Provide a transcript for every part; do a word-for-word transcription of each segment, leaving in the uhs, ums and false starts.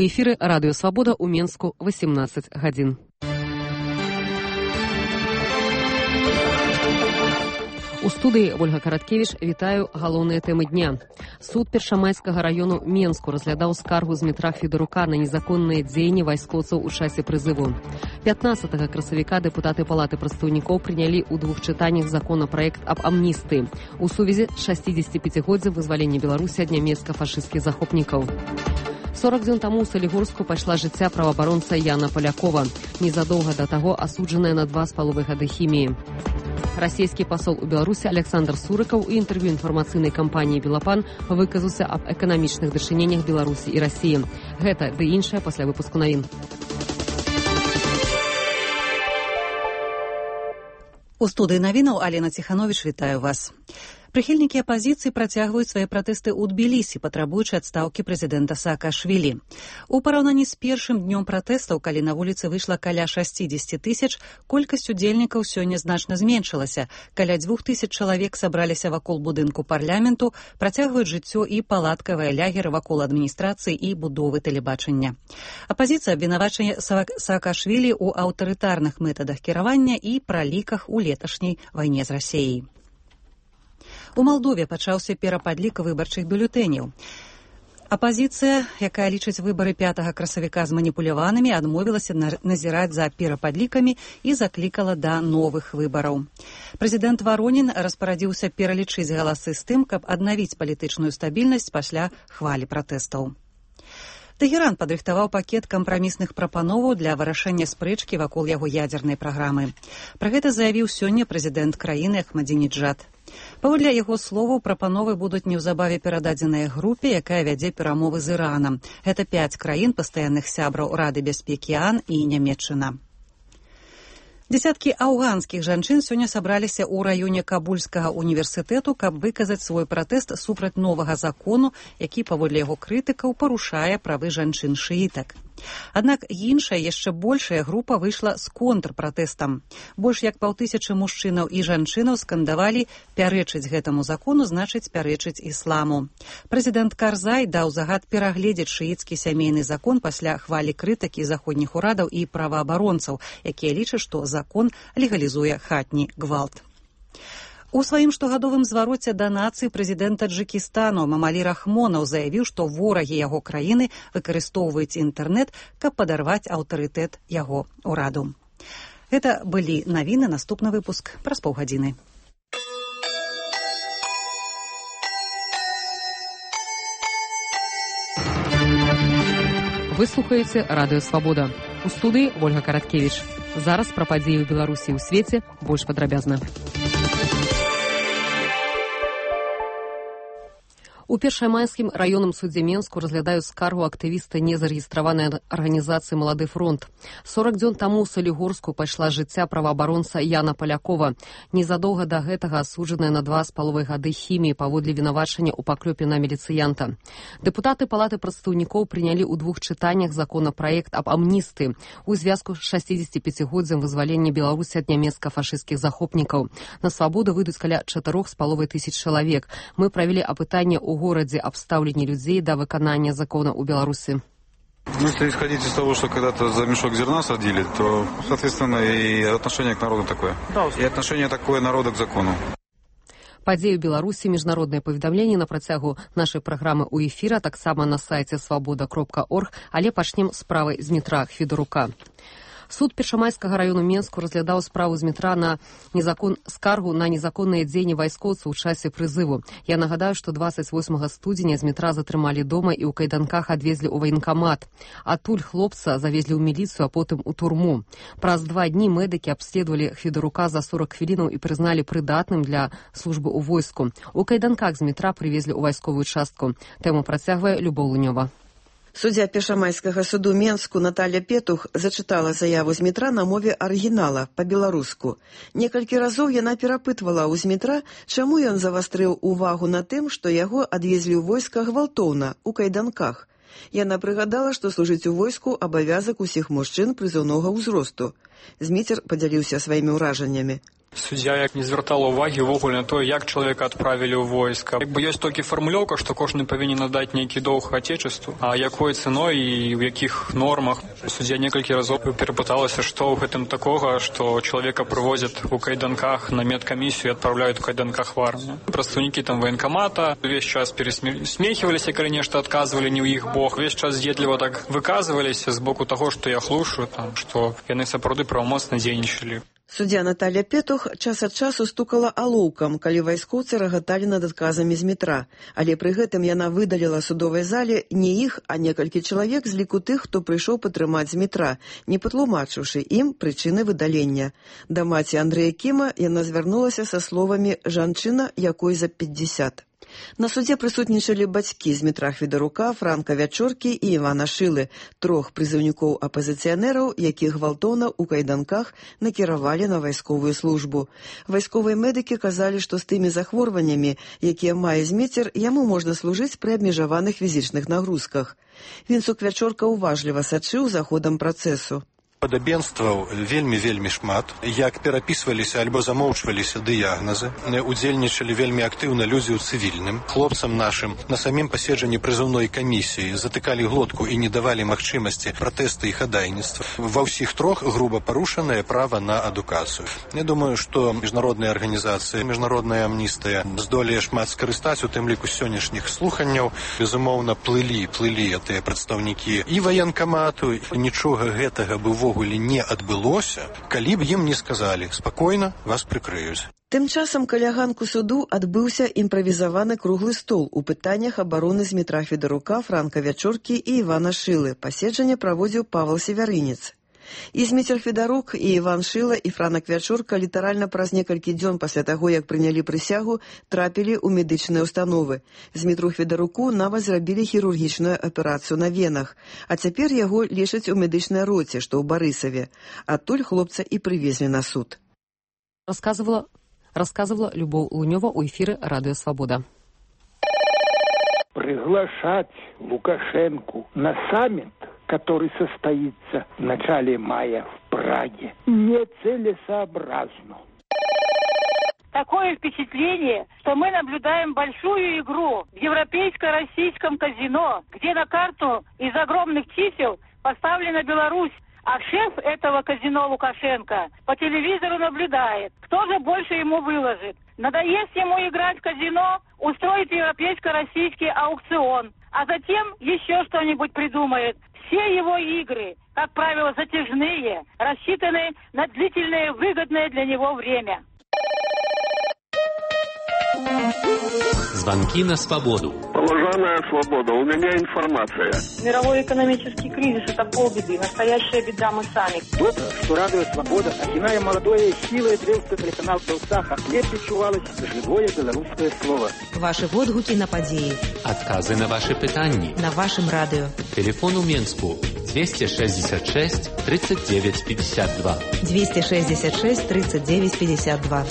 У эфіры Радыё Свабода ў Менску восемнадцать гадзін. У студыі Ольга Караткевіч, вітаю галоўныя тэмы дня. Суд Першамайскага раёну Менску разглядаў скаргу з Дмітра Федарука на незаконныя дзеянні вайскоўцаў у часе прызыву. пятнадцатага красавіка дэпутаты Палаты прадстаўнікоў прынялі ў двух чытаннях законапраект аб амністыі у сувязі з шасцідзесяціпяцігоддзям вызвалення Беларусі ад нямецка-фашысцкіх захопнікаў. сорок дзён таму ў Салігорску пайшла жыцця праваабаронца Яна Палякова, незадоўга да таго асуджаная на два з паловай гады хіміі. Расійскі пасол у Беларусі Александр Сурыкаў у інтэрв'ю інфармацыйнай кампаніі «Белапан» выказаўся аб эканамічных дачыненнях Беларусі і Расіі. Гэта ды іншае пасля выпуску навін. У студыі навінаў Алена Ціхановіч, вітаю вас. Прыхільнікі апазіцыі працягваюць свае пратэсты ў Тбілісі, патрабуючы адстаўкі прэзідэнта Саакашвілі. У параўнанні з першым днём пратэстаў, калі на вуліцы выйшла каля шасцідзесяці тысяч, колькасць удзельнікаў сёння значна зменшылася. Каля дзвюх тысяч чалавек сабраліся вакол будынку парламенту, працягваюць жыццё і палаткавыя лягеры вакол адміністрацыі і будовы тэлебачання. Апазіцыя абвінавачае Саакашвілі ў аўтарытарных метадах кіравання і праліках у леташняй вайне з Расіяй. У Малдове пачаўся перападлік выбарчых бюлетэняў. Апазіцыя, якая лічыць выбары пятага красавіка зманіпуляванымі, адмовілася назіраць за перападлікамі і заклікала да новых выбараў. Прэзідэнт Варонін распарадзіўся пералічыць галасы з тым, каб аднавіць палітычную стабільнасць пасля хвалі пратэстаў. Тэгеран падрыхтаваў пакет кампрамісных прапановаў для вырашэння спрэчкі вакол яго ядзернай праграмы. Пра гэта заявіў сёння прэзідэнт краіны Ахмадзінеджад. Паводле яго словаў, прапановы будуць неўзабаве перададзеныя групе, якая вядзе перамовы з Іранам. Гэта пяць краін пастаянных сябраў Рады бяспекі ААН і Нямецчына. Дзесяткі афганскіх жанчын сёння сабраліся ў раёне Кабульскага універсітэту, каб выказаць свой пратэст супраць новага закону, які, паводле яго крытыкаў, парушае правы жанчын-шыітак. Аднак іншая, яшчэ большая група выйшла з контрпратэстам. Больш як паўтысячы мужчынаў і жанчынаў скандавалі «пярэчыць гэтаму закону, значыць пярэчыць ісламу». Прэзідэнт Карзай даў загад перагледзець шыіцкі сямейны закон пасля хвалі крытыкі заходніх урадаў і праваабаронцаў, якія лічаць, што закон легалізуе хатні гвалт. У сваім штогадовым звароце да нацыі прэзідэнт Таджыкістану Мамалі Рахмонаў заявіў, што ворагі яго краіны выкарыстоўваюць інтэрнэт, каб падарваць аўтарытэт яго ўраду. Гэта былі навіны, наступны выпуск праз паўгадзіны. Вы слухаеце Радыё Свабода. У студыі Ольга Караткевіч. Зараз пра падзеі ў Беларусі і ў свеце больш падрабязна. У Першамайскім раённым судзе Менску разглядаюць скаргу актывіста незарэгістраванай арганізацыі «Малады фронт». сорок дзён таму ў Салігорску пайшла жыцця праваабаронца Яна Палякова, незадоўга да гэтага асуджаная на два з паловай гады хіміі паводле вінавачання ў паклёпе на міліцыянта. Дэпутаты Палаты прадстаўнікоў прынялі ў двух чытаннях законапраект аб амністыі у звязку з шасцідзесяціпяцігоддзям вызвалення Беларусі ад нямецка-фашысцкіх захопнікаў. На свабоду выйдуць каля чатырох з паловай тысяч чалавек. Мы правялі апытанне ў городе об ставлении людей до выполнения закона у Беларуси. Ну, если исходить из того, что когда-то за мешок зерна садили, то, соответственно, и отношение к народу такое. И отношение такое народа к закону. Падзеі ў Беларусі, міжнароднае паведамленне на працягу нашай праграмы ў эфіра, таксама на сайце свабода кропка орг, але пачнем з справы з Дмітра Федарука. Суд Першамайскага раёну Менску разглядаў справу з Дмітра на незакон... скаргу на незаконныя дзеянні вайскоўцаў у часе прызыву. Я нагадаю, што дваццаць восьмага студзеня Дмітра затрымалі дома і ў кайданках адвезлі ў ваенкамат. Адтуль хлопца завезлі ў міліцыю, а потым у турму. Праз два дні медыкі абследавалі Федарука за сорок хвілінаў і прызналі прыдатным для службы ў войску. У кайданках з Дмітра прывезлі ў вайсковую частку. Тэму працягвае Любоў Лунёва. Суддзя Першамайскага суду Менску Наталя Петух зачытала заяву Змітра на мове арыгінала, па-беларуску. Некалькі разоў яна перапытвала ў Змітра, чаму ён завастрыў увагу на тым, што яго адвезлі ў войска гвалтоўна, у кайданках. Яна прыгадала, што служыць у войску абавязак усіх мужчын прызыўнога ўзросту. Зміцер падзяліўся сваімі ўражаннямі. Суддзя як не звяртала ўвагі ўвогуле на тое, як чалавека адправілі ў войска. Як бы ёсць толькі фармулёўка, што кожны павінен надаць нейкі доўг Отечеству, а якой цэной і ў якіх нормах. Суддзя некалькі разоў перапыталася, што ў гэтым такога, што чалавека прывозяць у кайданках на медкамісію і адпраўляюць у кайданках в армію. Прадстаўнікі там военкомата увесь час пересмехиваліся, калі нешта адказвалі не ў іх бок. Увесь час з'едліва так выказваліся з боку таго, што я хлушу, там, што яны сапраўды правамоцна дзейнічалі. Суддзя Наталья Петух час ад часу стукала алоўкам, калі вайскоўцы рагаталі над адказамі з метра, але пры гэтым яна выдаліла судовай зале не іх, а некалькі чалавек з ліку тых, хто прыйшоў патрымаць з метра, не патлумачыўшы ім прычыны выдалення. Да маці Андрэя Кіма яна звярнулася са словамі «жанчына, якой за пятьдесят». На судзе прысутнічалі бацькі Змітра Хвідарука, Франка Вячоркі і Івана Шылы, трох прызыўнікоў апазіцыянераў, якіх гвалтоўна ў кайданках накіравалі на вайсковую службу. Вайсковыя медыкі казалі, што з тымі захворваннямі, якія мае Зміцер, яму можна служыць пры абмежаваных фізічных нагрузках. Вінцук Вячорка уважліва сачыў за ходам працэсу. Падабенстваў вельмі-вельмі шмат, як перапісваліся альбо замоўчваліся дыягназы, удзельнічалі вельмі актыўна людзі ў цывільным. Хлопцам нашым на самім паседжанні прызыўной камісіі затыкалі глотку і не давалі магчымасці пратэста і хадайніцтва. Ва ўсіх трох груба парушанае права на адукацыю. Я думаю, што міжнародныя арганізацыі, міжнародная амністыя здолее шмат скарыстаць, у тым ліку сённяшніх слуханняў. Безумоўна, плылі, плылі тыя прадстаўнікі і ваенкамату, нічога гэтага бы увогуле не адбылося, калі б ім не сказалі «спакойна, вас прыкрыюць». Тым часам каля ганку суду адбыўся імправізаваны круглы стол у пытаннях абароны Змітра Хвідарука, Франка Вячоркі і Івана Шылы. Паседжанне праводзіў Павел Севярынец. І Зміцер Хвідарук, і Іван Шыла, і Франак Вячорка літаральна праз некалькі дзён пасля таго, як прынялі прысягу, трапілі ў медычныя ўстановы. Змітру Хвідаруку нават зрабілі хірургічную аперацыю на венах, а цяпер яго лечаць у медычнай роце, што ў Барысаве. Адтуль хлопца і прывезлі на суд. Расказывала, расказывала Любоў Лунёва ў эфіры Радыё Свабода. Приглашать Лукашенку на саммит, который состоится в начале мая в Праге, нецелесообразно. Такое впечатление, что мы наблюдаем большую игру в европейско-российском казино, где на карту из огромных чисел поставлена Беларусь, а шеф этого казино Лукашенко по телевизору наблюдает, кто же больше ему выложит. Надоест ему играть в казино, устроит европейско-российский аукцион, а затем еще что-нибудь придумает. Все его игры, как правило, затяжные, рассчитаны на длительное выгодное для него время. Звонки на свободу. Положенная свобода. У меня информация. Мировой экономический кризис – это полбеды. Настоящая беда мы сами. То-то, что Радио Свобода, начиная молодое, силой древства телеканал «Толстаха», где причувалось живое белорусское слово. Ваши водгуки на подеи. Отказы на ваши пытанни. На вашем радио. Телефон у Менску двести шестьдесят шесть тридцать девять пятьдесят два. двести шестьдесят шесть тридцать девять пятьдесят два.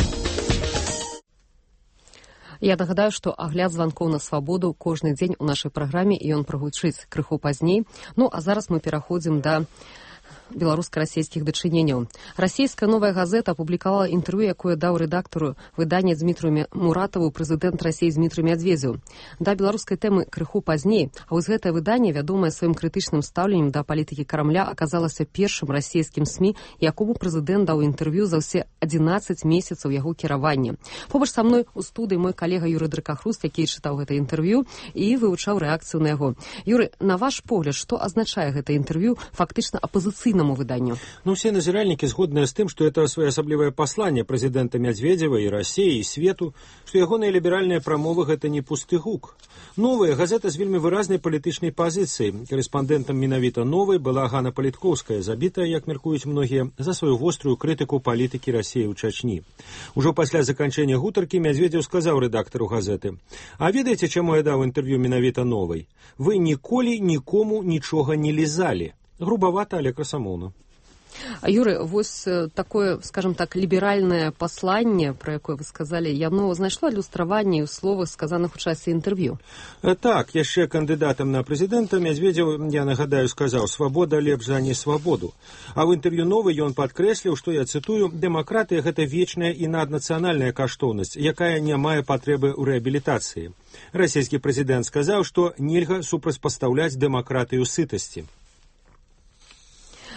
Я нагадаю, што агляд званкоў на свабоду кожны дзень у нашай праграме, і ён прагучыць крыху пазней. Ну, а зараз мы пераходзім да беларуска-расійскіх дачыненняў. Расійская новая газета апублікавала інтэрв'ю, якое даў рэдактару выдання Дзмітру Муратаву прэзідэнт Расіі Дзмітру Мядзведзеў. Да беларускай тэмы крыху пазней, а вось гэтае выданне, вядомае сваім крытычным стаўленнем да палітыкі Крамля, аказалася першым расійскім СМІ, якому прэзідэнт даў інтэрв'ю за ўсе адзінаццаць месяцаў яго кіравання. Побач са мной у студыі мой калега Юрый Дракахруст, які чытаў гэта інтэрв'ю і вывучаў рэакцыю на яго. Юры, на ваш погляд, што азначае гэта інтэрв'ю фактычна апазіцыйнаму выданню? Ну, все назиральники сгодны с тем, что это своеасаблівае послание президента Медведева и России, и свету, что ягоныя либеральныя прамовы — это не пусты гук. Новая газета з вельмі выразнай палітычнай пазіцыяй. Карэспандэнтам менавіта новай была Ганна Паліткоўская, забітая, як меркуюць многія, за сваю вострую крытыку палітыкі Расіі ў Чачні. Ужо пасля заканчэння гутаркі Медведзеў сказаў рэдактару газеты: «А ведаеце, чаму я даў інтэрв'ю менавіта новай? Вы ніколі нікому нічога не лізалі». Грубовато, але красамоўна. Юры, вось такое, скажем так, ліберальнае пасланне, пра якое вы сказалі, яно знайшло адлюстраванне ў словах, сказаных у часе інтэрв'ю? Так, яшчэ кандыдатам на прэзідэнта Мядзведзеў, я нагадаю, сказаў: «Свабода лепш за не свабоду». А ў інтэрв'ю новы ён падкрэсліў, што, я цытую, «Дэмакратыя – гэта вечная і наднацыянальная каштоўнасць, якая не мае патрэбы ў рэабілітацыі». Расійскі прэзідэнт сказаў, што нельга супрацьпастаўляць дэмакратыю сытасці.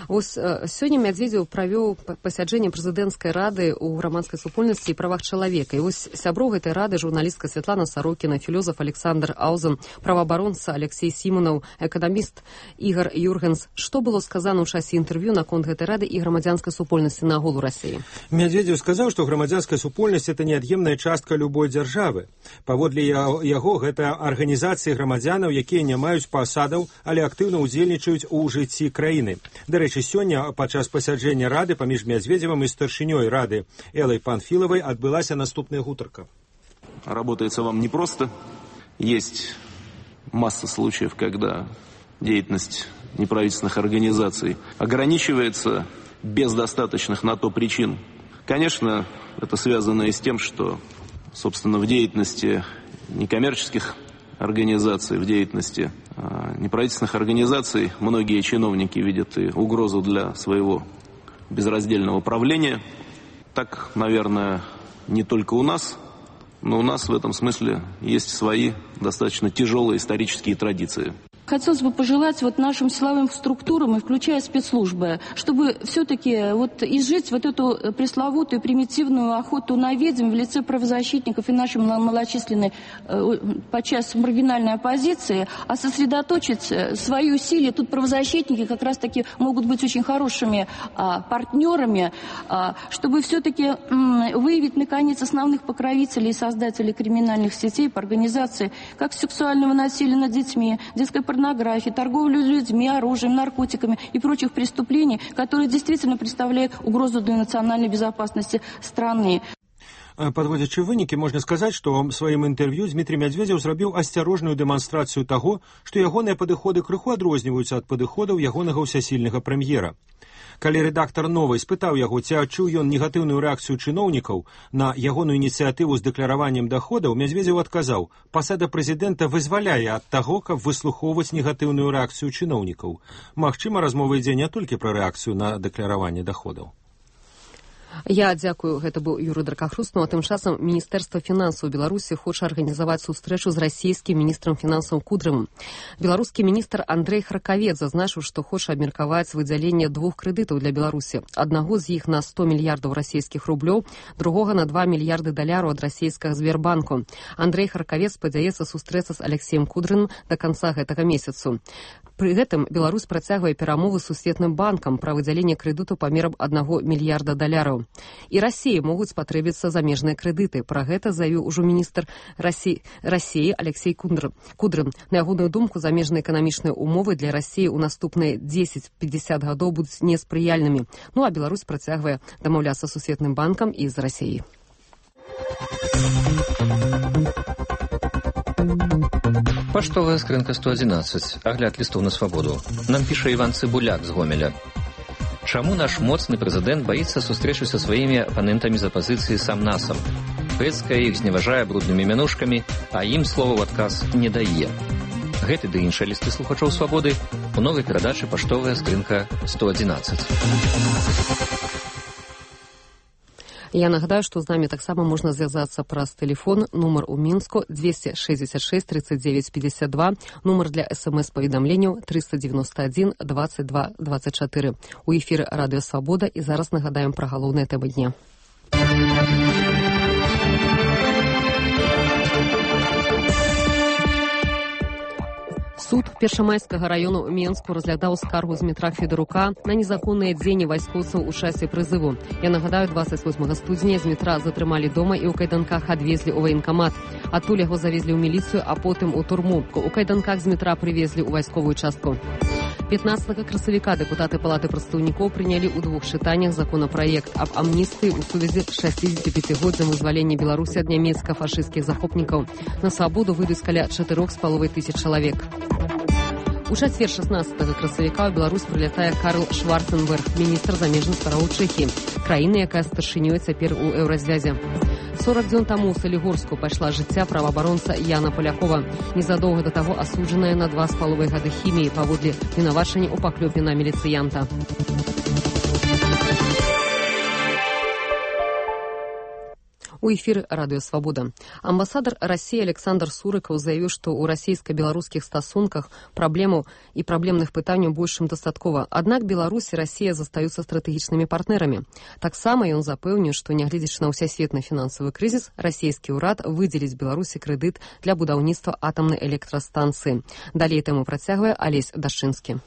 Вось сёння Мядзведзеў правёў пасяджэнне прэзідэнцкай рады ў грамадскай супольнасці і правах чалавека. І вось сяброў гэтай рады журналістка Святлана Сарокіна, філёзаф Александр Аузен, праваабаронца Алексей Сімонаў, эканаміст Ігар Юргенс. Што было сказана ў часе інтэрв'ю наконт гэтай рады і грамадзянскай супольнасці нагул у Расіі? Мядзведзеў сказаў, што грамадзянская супольнасць – это неад'емная частка любой дзяржавы. Паводле яго, гэта арганізацыі грамадзянаў, якія не маюць пасадаў, але актыўна ўдзельнічаюць у жыцці краіны. Дарэчы, сёння падчас пасяджэння рады паміж Мядзведзевым і старшынёй рады Элай Панфілавай адбылася наступная гутарка. Работается вам непросто. Есть масса случаев, когда деятельность неправительственных организаций ограничивается без достаточных на то причин. Конечно, это связано и с тем, что, собственно, в деятельности некоммерческих организаций, в деятельности э, неправительственных организаций многие чиновники видят и угрозу для своего безраздельного правления. Так, наверное, не только у нас, но у нас в этом смысле есть свои достаточно тяжелые исторические традиции. Хотелось бы пожелать вот нашим силовым структурам, и включая спецслужбы, чтобы все-таки вот изжить вот эту пресловутую примитивную охоту на ведьм в лице правозащитников и нашей малочисленной, подчас маргинальной оппозиции, а сосредоточить свои усилия. Тут правозащитники как раз-таки могут быть очень хорошими а, партнерами, а, чтобы все-таки м, выявить, наконец, основных покровителей и создателей криминальных сетей по организации как сексуального насилия над детьми, детской порнографии, торговлю людьми, оружием, наркотиками и прочих преступлений, которые действительно представляют угрозу для национальной безопасности страны. Подводзячы вынікі, можна сказаць, што сваім інтэрв'ю Дмітрий Мядзведзеў зрабіў асцярожную дэманстрацыю таго, што ягоныя падыходы крыху адрозніваюцца ад падыходаў ягонага ўсясільнага прэм'ера. Калі рэдактар «Новай» спытаў яго, ці адчуў ён негатыўную рэакцыю чыноўнікаў на ягоную ініцыятыву з дэклараваннем даходаў, Мядзведзеў адказаў: «Пасада прэзідэнта вызваляе ад таго, каб выслухоўваць негатыўную рэакцыю чыноўнікаў». Магчыма, размова ідзе не толькі пра рэакцыю на дэклараванне даходаў. Я дзякую, гэта быў Юрый Дракахрустаў. А тым часам Міністэрства фінансаў Беларусі хоча арганізаваць сустрэчу з расійскім міністрам фінансаў Кудрымым. Беларускі міністр Андрэй Харкавец зазначыў, што хоча абмеркаваць выдзяленне двух крэдытаў для Беларусі. Аднаго з іх на сто мільярдаў расійскіх рублёў, другога на два мільярды даляраў ад расійскага Сбербанку. Андрэй Харкавец спадзяецца сустрэцца з Алексеем Кудрыным да канца гэтага месяцу. Пры гэтым Беларусь працягвае перамовы з Сусветным банкам пра выдзяленне крэдыту памерам аднаго мільярда даляраў. І Расіі могуць спатрэбіцца замежныя крэдыты. Пра гэта заявіў ужо міністр Расіі, Расіі Алексей Кудрым. На ягоную думку, замежныя эканамічныя умовы для Расіі ў наступныя дзесяць-пятьдесят гадоў будуць неспрыяльнымі. Ну а Беларусь працягвае дамаўляцца з Сусветным банкам і з Расіяй. Паштовая скрынка сто адзінаццаць. Агляд лістоў на свабоду. Нам піша Іван Цыбуляк з Гомеля. Чаму наш моцны прэзідэнт баіцца сустрэчы са сваімі апанентамі з апазіцыі сам-насам? Пэцкае іх зневажае бруднымі мянушкамі, а ім слова ў адказ не дае. Гэты ды іншыя лісты слухачоў свабоды у новай перадачы «Паштовая скрынка сто адзінаццаць». Я нагадаю, што з намі таксама можна звязацца праз тэлефон, нумар у Мінску двести шестьдесят шесть тридцать девять пятьдесят два, нумар для смс-паведамленняў триста девяносто один двадцать два двадцать четыре. У эфіры Радыё Свабода і зараз нагадаем пра галоўныя тэмы дня. Суд Першамайскага раёну Менску разглядаў скаргу Змітра Федарука на незаконныя дзеянні вайскоўцаў у часе прызыву. Я нагадаю, двадцать восьмага студзеня Змітра затрымалі дома і ў кайданках адвезлі ў ваенкамат. Адтуль яго завезлі ў міліцыю, а потым у турму. У кайданках Змітра прывезлі ў вайсковую частку. пятнадцатага красавіка дэпутаты Палаты прадстаўнікоў прынялі ў двух чытаннях законапраект аб амністыі ў сувязі з шасцідзесяціпяцігоддзям вызвалення Беларусі ад нямецка-фашысцкіх захопнікаў. На свабоду выйдуць каля чатырох з паловай тысяч чалавек. У чацвер шаснаццатага красавіка ў Беларусь прылятае Карл Шварценберг, міністр замежных спраў Чэхіі, краіны, якая старшынёй цяпер у еўразвязе. сорок дзён таму ў Салігорску пайшла жыцця праваабаронца Яна Палякова, незадоўга да таго асуджаная на два з паловай гады хіміі паводле вінавачання ў паклёпе на міліцыянта. У эфіры радыё «Свабода». Амбасадар России Александр Сурыкаў заявіў, што ў расійска-беларускіх стасунках праблемаў і праблемных пытанняў больш чым дастаткова. Аднак Беларусь і Расія застаюцца стратэгічнымі партнерамі. Таксама ён запэўніў, што нягледзячы на ўсясветны фінансавы крызіс, расійскі ўрад выдзеліць Беларусі крэдыт для будаўніцтва атамнай электрастанцыі. Далей тэму працягвае Алесь Дашчынскі.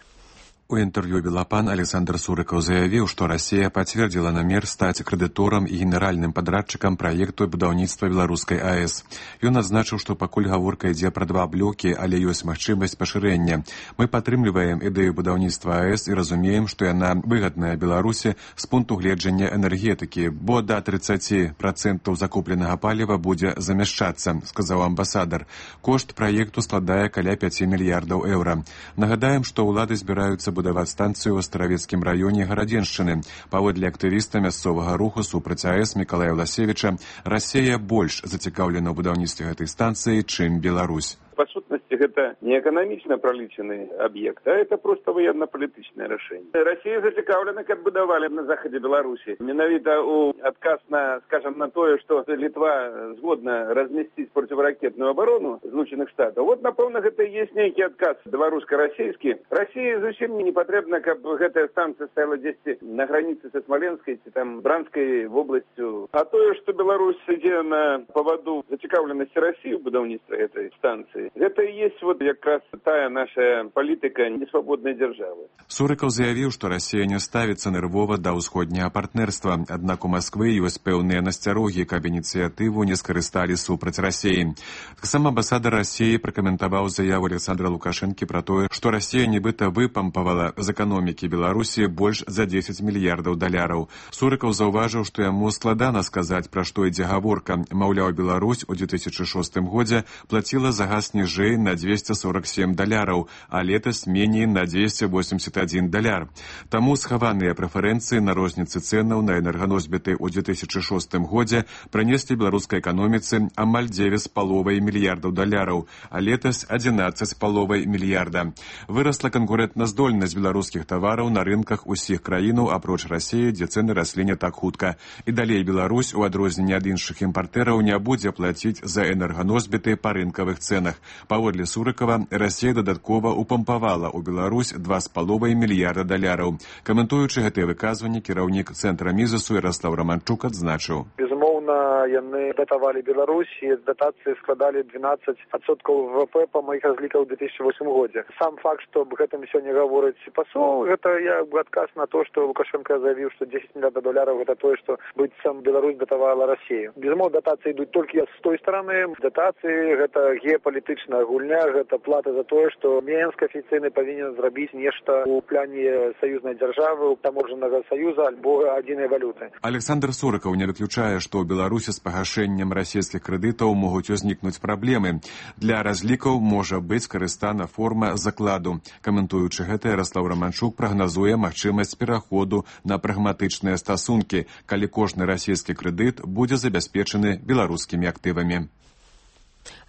У інтэрв'ю «Белапан» Александр Сурыкаў заявіў, што Расія пацвердзіла намер стаць крэдыторам і генеральным падрадчыкам праекту будаўніцтва беларускай АЭС. Ён адзначыў, што пакуль гаворка ідзе пра два блокі, але ёсць магчымасць пашырэння. Мы падтрымліваем ідэю будаўніцтва АЭС і разумеем, што яна выгадная Беларусі з пункту гледжання энергетыкі, бо да тридцать процентов закупленага паліва будзе замяшчацца, сказаў амбасадар. Кошт праекту складае каля пяти мільярдаў еўра. Нагадаем, што ўлады збіраюцца будаваць станцыю ў Астравецкім раёне Гарадзеншчыны. Паводле актывіста мясцовага руху супраць АЭС Мікалая Власевіча, Расія больш зацікаўлена ў будаўніцтве гэтай станцыі, чым Беларусь. По сутности, это не экономично пролічены объект, а это просто военно-політычнае рашэнне. Россия зацікаўлена, каб будавалі на захадзе Беларусі. Менавіта у адказ на, скажем, на тое, что Литва згодна разместить противоракетную оборону Злученых Штатов. Вот, напэўна, гэта і есть нейкі адказ беларуска-расійскі. России зусім не патрэбна, каб гэтая станция стаяла дзесьці на границе со Смоленской ці там Бранской областью. А тое, что Беларусь ідзе на поводу зацікаўленасці России в будаўніцтве этой станции, гэта і есть вот якраз тая наша палітыка несвабоднай дзяржавы. Сурыкаў заявіў, што Расія не ставіцца нервова да ўсходняга партнерства, аднак у Масквы ёсць пэўныя насцярогі, каб ініцыятыву не скарысталі супраць Расіі. Таксама амбасадар Расіі пракаментаваў заяву Александра Лукашэнкі пра тое, што Расія нібыта выпампавала з эканомікі Беларусі больш за дзесяць мільярдаў даляраў. Сурыкаў заўважыў, што яму складана сказаць, пра што ідзе гаворка. Маўляў, Беларусь у две тысячи шостым годзе плаціла за газ ніжэй на двести сорок семь даляраў, а летась меней на двести восемьдесят один даляр. Таму схаваныя прэферэнцыі на розніцы цэнаў на энерганосьбіты ў две тысячи шостым годзе прынеслі беларускай эканоміцы амаль девять з паловай мільярдаў даляраў, а летась одиннадцать з паловай мільярда. Вырасла канкурэнтназдольнасць беларускіх тавараў на рынках усіх краінаў апроч Расіі, дзе цэны раслі не так хутка. І далей Беларусь, у адрозненне ад іншых імпартэраў, не будзе плаціць за энерганосьбіты па рынкавых цэнах. Паводле Сурыкава, Расія дадаткова упампавала ў Беларусь два з паловай мільярда даляраў. Каментуючы гэтыя выказванні, кіраўнік цэнтра Мізесу Ярослав Романчук адзначыў. Безумоўна, яны датавалі Беларусь, і датацыі складалі двенадцать адсоткаў ВВП па маіх разліках у две тысячи восьмым годзе. Сам факт, што аб гэтым сёння гаворыць пасол, гэта як бы адказ на то, што Лукашенко заявіў, што десять мільярдаў даляраў гэта тое, што быццам Беларусь датавала Расію. Безумоўна, датацыі ідуць толькі з той стороны. Датацыі гэта геапалітычная гульня, гэта плата за тое, што Мінск афіцыйна павінен зрабіць нешта ў пляне саюзнай дзяржавы, таможаннага саюза альбо адзінай валюты. Александр Сурыкаў не выключае, што ў Беларусі з пагашэннем расійскіх крэдытаў могуць узнікнуць праблемы. Для разлікаў можа быць карыстана форма закладу. Каментуючы гэта, Ярослав Романчук прагназуе магчымасць пераходу на прагматычныя стасункі, калі кожны расійскі крэдыт будзе забяспечаны беларускімі актывамі.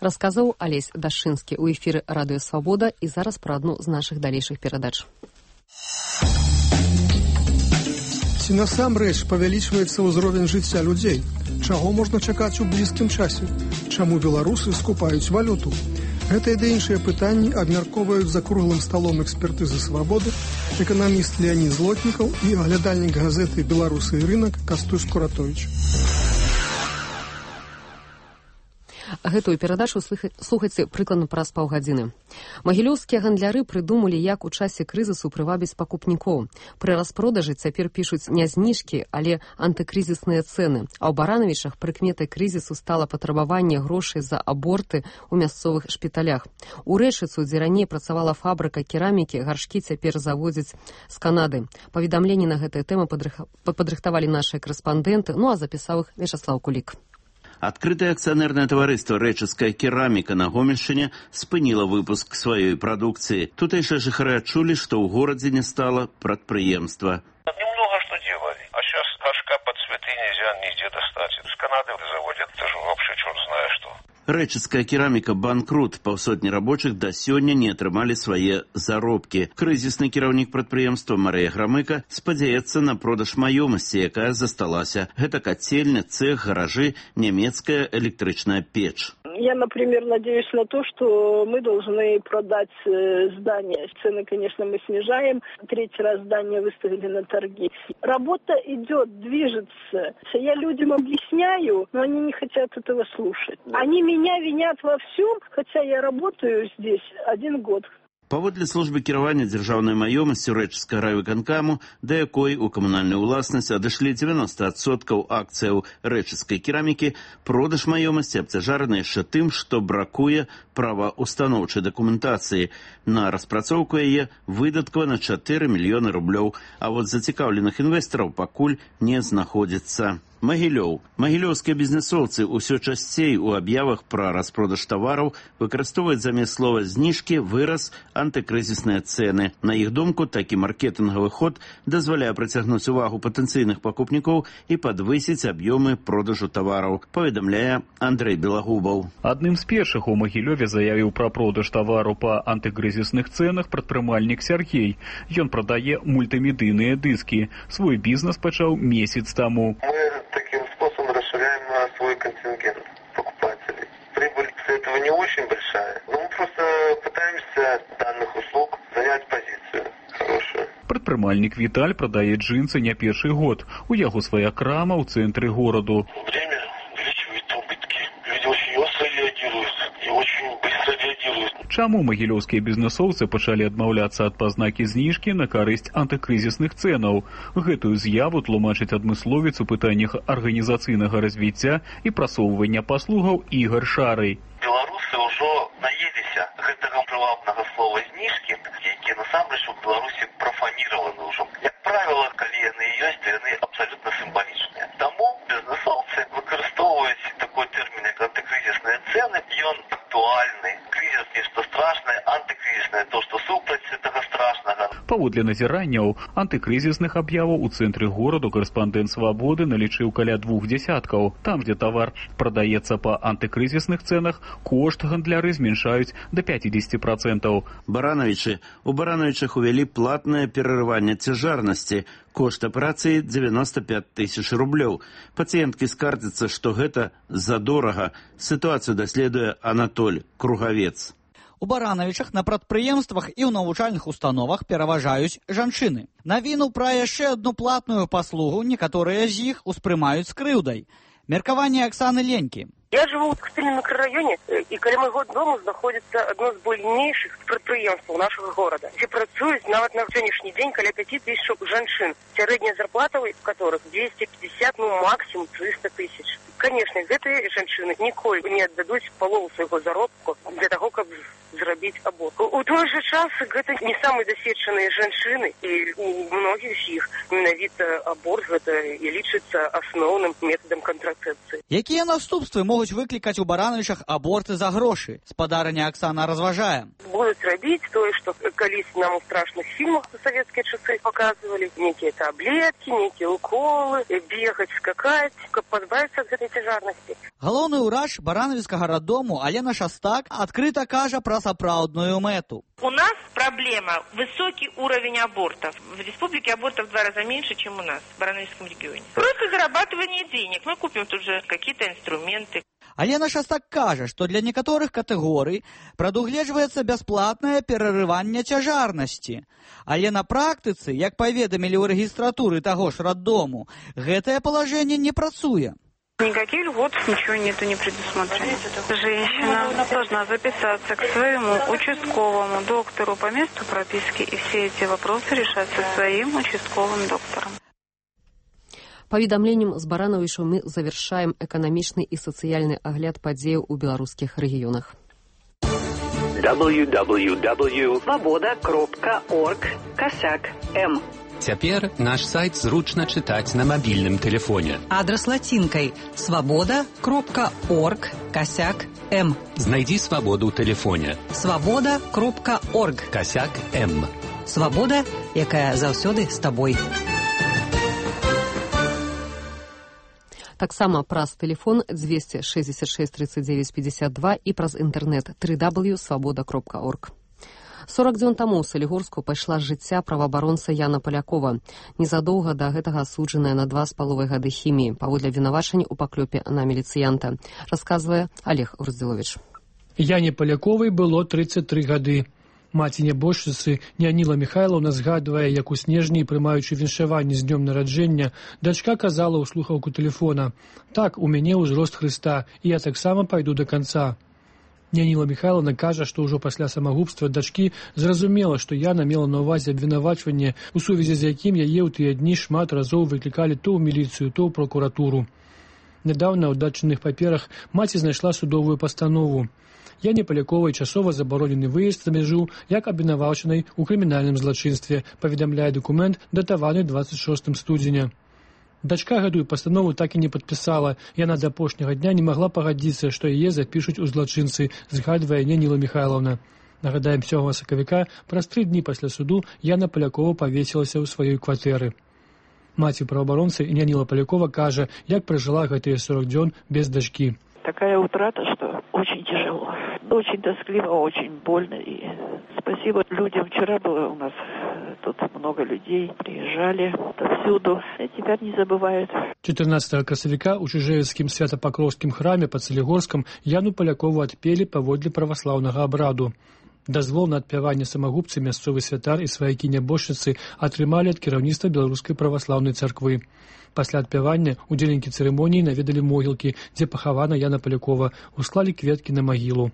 Расказаў Алесь Дашчынскі ў эфіры радыё «Свабода», і зараз пра адну з нашых далейшых перадач. Ці насамрэч павялічваецца ўзровень жыцця людзей? Чаго можна чакаць у блізкім часе? Чаму беларусы скупаюць валюту? Гэта і да іншыя пытанні абмяркоўваюць за круглым сталом экспертызы «Свабоды» эканаміст Леонід Злотнікаў і аглядальнік газеты «Беларусы і рынак» Кастусь Куратович. Гэтую перадачу слухайце прыкладна праз паўгадзіны. Магілёўскія гандляры прыдумалі, як у часе крызісу прывабіць пакупнікоў. Пры распродажы цяпер пішуць не зніжкі, але антыкрызісныя цэны. А ў Баранавічах прыкметай крызісу стала патрабаванне грошай за аборты ў мясцовых шпіталях. У Рэчыцу, дзе раней працавала фабрыка керамікі, гаршкі цяпер завозяць з Канады. Паведамленні на гэтыя тэмы падрыхтавалі нашыя корэспандэнты, ну а запісаў іх Вячаслаў Кулік. Адкрытае акцыянернае таварыства «Рэчыцкая кераміка» на Гомельшчыне спыніла выпуск сваёй прадукцыі. Тутэйшыя жыхары адчулі, што ў горадзе не стала прадпрыемства. Немного что делали. А сейчас горшка под цветы нельзя нигде достать. С Канады заводят. Это же вообще черт знает что. Рэчыцкая кераміка банкрут. Паўсотні рабочых да сёння не атрымалі свае заробкі. Крызісны кіраўнік прадпрыемства Марыя Грамыка спадзяецца на продаж маёмасці, якая засталася. Гэта кацельня, цэх, гаражы, нямецкая электрычная печ. Я, например, надеюсь на то, что мы должны продать здание. Цены, конечно, мы снижаем. Третий раз здание выставили на торги. Работа идет, движется. Я людям объясняю, но они не хотят этого слушать. Они меня винят во всем, хотя я работаю здесь один год. Паводле службы кіравання дзяржаўнай маёмасцю Рэчыцкага райвыканкаму, да якой у камунальную ўласнасць адышлі дзевяносто адсоткаў акцыяў рэчыцкай керамікі, продаж маёмасці абцяжараны яшчэ тым, што бракуе праваўстаноўчай дакументацыі. На распрацоўку яе выдаткавана чатыры мільёны рублёў, а вот зацікаўленых інвестараў пакуль не знаходзіцца. Магілёў. Магілёўскія бізнесоўцы ўсё часцей у аб'явах пра распродаж тавараў выкарыстоўваюць замест слова «зніжкі» выраз «антыкрызісныя цэны». На іх думку, такі маркетынгавы ход дазваляе прыцягнуць увагу патэнцыйных пакупнікоў і падвысіць аб'ёмы продажу тавараў, паведамляе Андрэй Белагубаў. Адным з першых у Магілёве заявіў пра продаж тавару па антыкрызісных цэнах прадпрымальнік Сяргей. Ён прадае мультымедыйныя дыскі. Свой бізнес пачаў месяц таму. Таким способом расширяем свой контингент покупателей. Прибыль с этого не очень большая, но мы просто пытаемся данных услуг занять позицию хорошую. Прадпрымальнік Віталь прадае джинсы не першы год. У яго свая крама ў цэнтры гораду. Время увеличивает убытки. Люди очень остро реагируют и очень быстро реагируют. Чаму магілёўскія бізнесоўцы пачалі адмаўляцца ад пазнакі зніжкі на карысць антыкрызісных цэнаў? Гэтую з'яву тлумачыць адмысловец у пытаннях арганізацыйнага развіцця і прасоўвання паслугаў Ігар Шарый. Беларусы ўжо наеліся гэтага прывабнага слова зніжкі, якія насамрэч у Беларусі прафаніраваны ўжо. Як правіла, калі яны ёсць, яны абсалютна сімвалічныя. Таму бізнесоўцы выкарыстоўваюць такой тэрмін, як антыкрызісныя цэны. Ён актуальны. Крызіс нешта страшнае, антыкрызіснае то, што супраць гэтага страшнага. Паводле назіранняў антыкрызісных аб'яваў у цэнтры гораду карэспандэнт «Свабоды» налічыў каля двух дзясяткаў. Там, дзе тавар прадаецца па антыкрызісных цэнах, кошт гандляры зменшаюць да пяцідзесяці працэнтаў. Баранавічы. У Баранавічах увялі платнае перарыванне цяжарнасці. Кошт аперацыі девяносто пять тысяч рублёў. Пацыенткі скардзяцца, што гэта задорага. Сітуацыю даследуе Анатоль Кругавец. У Баранавічах на прадпрыемствах і ў навучальных установах пераважаюць жанчыны. Навіну пра яшчэ одну платную паслугу некаторыя з іх успрымаюць з крыўдай. Меркаванне Оксаны Ленькі. Я живу в Костыльном микрорайоне, и каля моего дома находится одно з буйнейшых прадпрыемстваў нашего города, где працуюць нават на сённяшні дзень каля пяти тысяч жанчын, сярэдняя зарплата у которых двести пятьдесят, ну максимум триста тысяч. Конечно, гэтыя жанчыны ніколі не аддадуць палову свайго заробку для того, каб зрабіць аборт. У той же час гэта не самыя дасведчаныя жанчыны, і у многіх з іх менавіта аборт гэта і лічыцца асноўным метадам кантрацэпцыі. Якія наступствы могуць выклікаць у Баранавічах аборты за грошы? Спадарня Оксана разважае. Будуць рабіць тое, што калісь нам у страшных фільмах у савецкія часы паказвалі. Некія таблеткі, некія уколы, бегаць, скакаць, каб пазбавіцца ад гэтай цяжарнасці. Галоўны ўрач Баранавіцкага раддому Алена Шастак адкрыта кажа пра сапраўдную мэту. У нас проблема высокий уровень абортов. В республике абортов в два раза меньше, чем у нас, в Барановичском регионе. Просто зарабатывание денег. Мы купим тут же какие-то инструменты. Алена Шастак кажа, што для некаторых катэгорый прадугледжваецца бясплатнае перарыванне цяжарнасці. Але на практыцы, як паведамілі ў рэгістратуры таго ж раддому, гэтае палажэнне не працуе. Никаких льгот, ничего нету, не предусмотрено. Женщина должна записаться к своему участковому доктору по месту прописки, и все эти вопросы решаться своим участковым доктором. Паведамленнем з Баранавічаў мы завершаем эканамічны і сацыяльны агляд падзеяў у беларускіх рэгіёнах. дабл ю дабл ю дабл ю точка свобода точка орг косяк эм Цяпер наш сайт зручна чытаць на мабільным тэлефоне. Адрас лацінкай свабода кропка орг касяк м. Знайдзі свабоду ў тэлефоне. свабода кропка орг касяк м. Свабода, якая заўсёды з табой. Таксама праз тэлефон двести шестьдесят шесть тридцать девять пятьдесят два і праз інтэрнэт дабл ю дабл ю дабл ю крапка свабода крапка орг. сорок дзён таму ў Салігорску пайшла з жыцця праваабаронца Яна Палякова, незадоўга да гэтага асуджаная на два з паловай гады хіміі паводле абвінавачання ў паклёпе на міліцыянта, расказвае Олег Груздзіловіч. Яне Паляковай было тридцать три гады. Маці нябожчыцы Няніла Міхайлаўна згадвае, як у снежні, прымаючы віншаванне з днём нараджэння, дачка казала ў слухаўку тэлефона: «Так, у мяне ўзрост Хрыста, і я таксама пайду да канца». Няніла Міхайлаўна кажа, што ўжо пасля самагубства дачкі зразумела, што Яна мела на ўвазе абвінавачванне, у сувязі з якім яе ў тыя дні шмат разоў выклікалі то ў міліцыю, то ў прокуратуру. Нядаўна ў дадчыных паперах маці знайшла судовую пастанову. Яне Паляковай часова забаронены выезд за мяжу як абвінавачанай у крымінальным злачынстве, паведамляе дакумент, датаваны двадцать шостым студзеня. Дачка гэтую пастанову так і не падпісала. Яна да апошняга дня не магла пагадзіцца, што яе запішуць у злачынцы, згадвае Няніла Міхайлаўна. Нагадаем, сёмага сакавіка, праз тры дні пасля суду, Яна Палякова павесілася ў сваёй кватэры. Маці праваабаронцы Няніла Палякова кажа, як пражыла гэтыя сорок дзён без дачкі. Такая утрата, что очень тяжело, очень тоскливо, очень больно. И спасибо людям. Вчера было у нас тут много людей, приезжали отовсюду, и теперь не забывают. чатырнаццатага красавіка ў Чыжэўскім свята-пакроўскім храме пад Салігорскам Яну Палякову адпелі паводле праваслаўнага абраду. Дазвол на адпяванне самагубцы мясцовы святар і сваякі нябожчыцы атрымалі ад кіраўніцтва Беларускай праваслаўнай царквы. Пасля адпявання удзельнікі цырымоніі наведалі могілкі, дзе пахавана Яна Палякова, усклалі кветкі на магілу.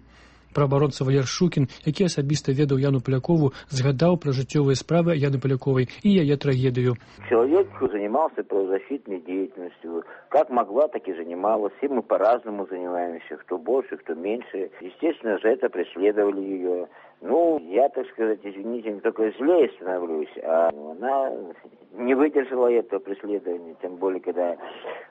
Праабаронца Валер Шукін, які асабіста ведаў Яну Палякову, згадаў пра жыццёвыя справы Яны Паляковай і яе трагедыю. Человек занимался правозащитной деятельностью. Как могла, так и занималась. Все мы по-разному занимаемся, кто больше, кто меньше. Естественно же, это преследовали ее. Ну, я, так сказать, извините, только злее становлюсь, а она не выдержала этого преследования, тем более, когда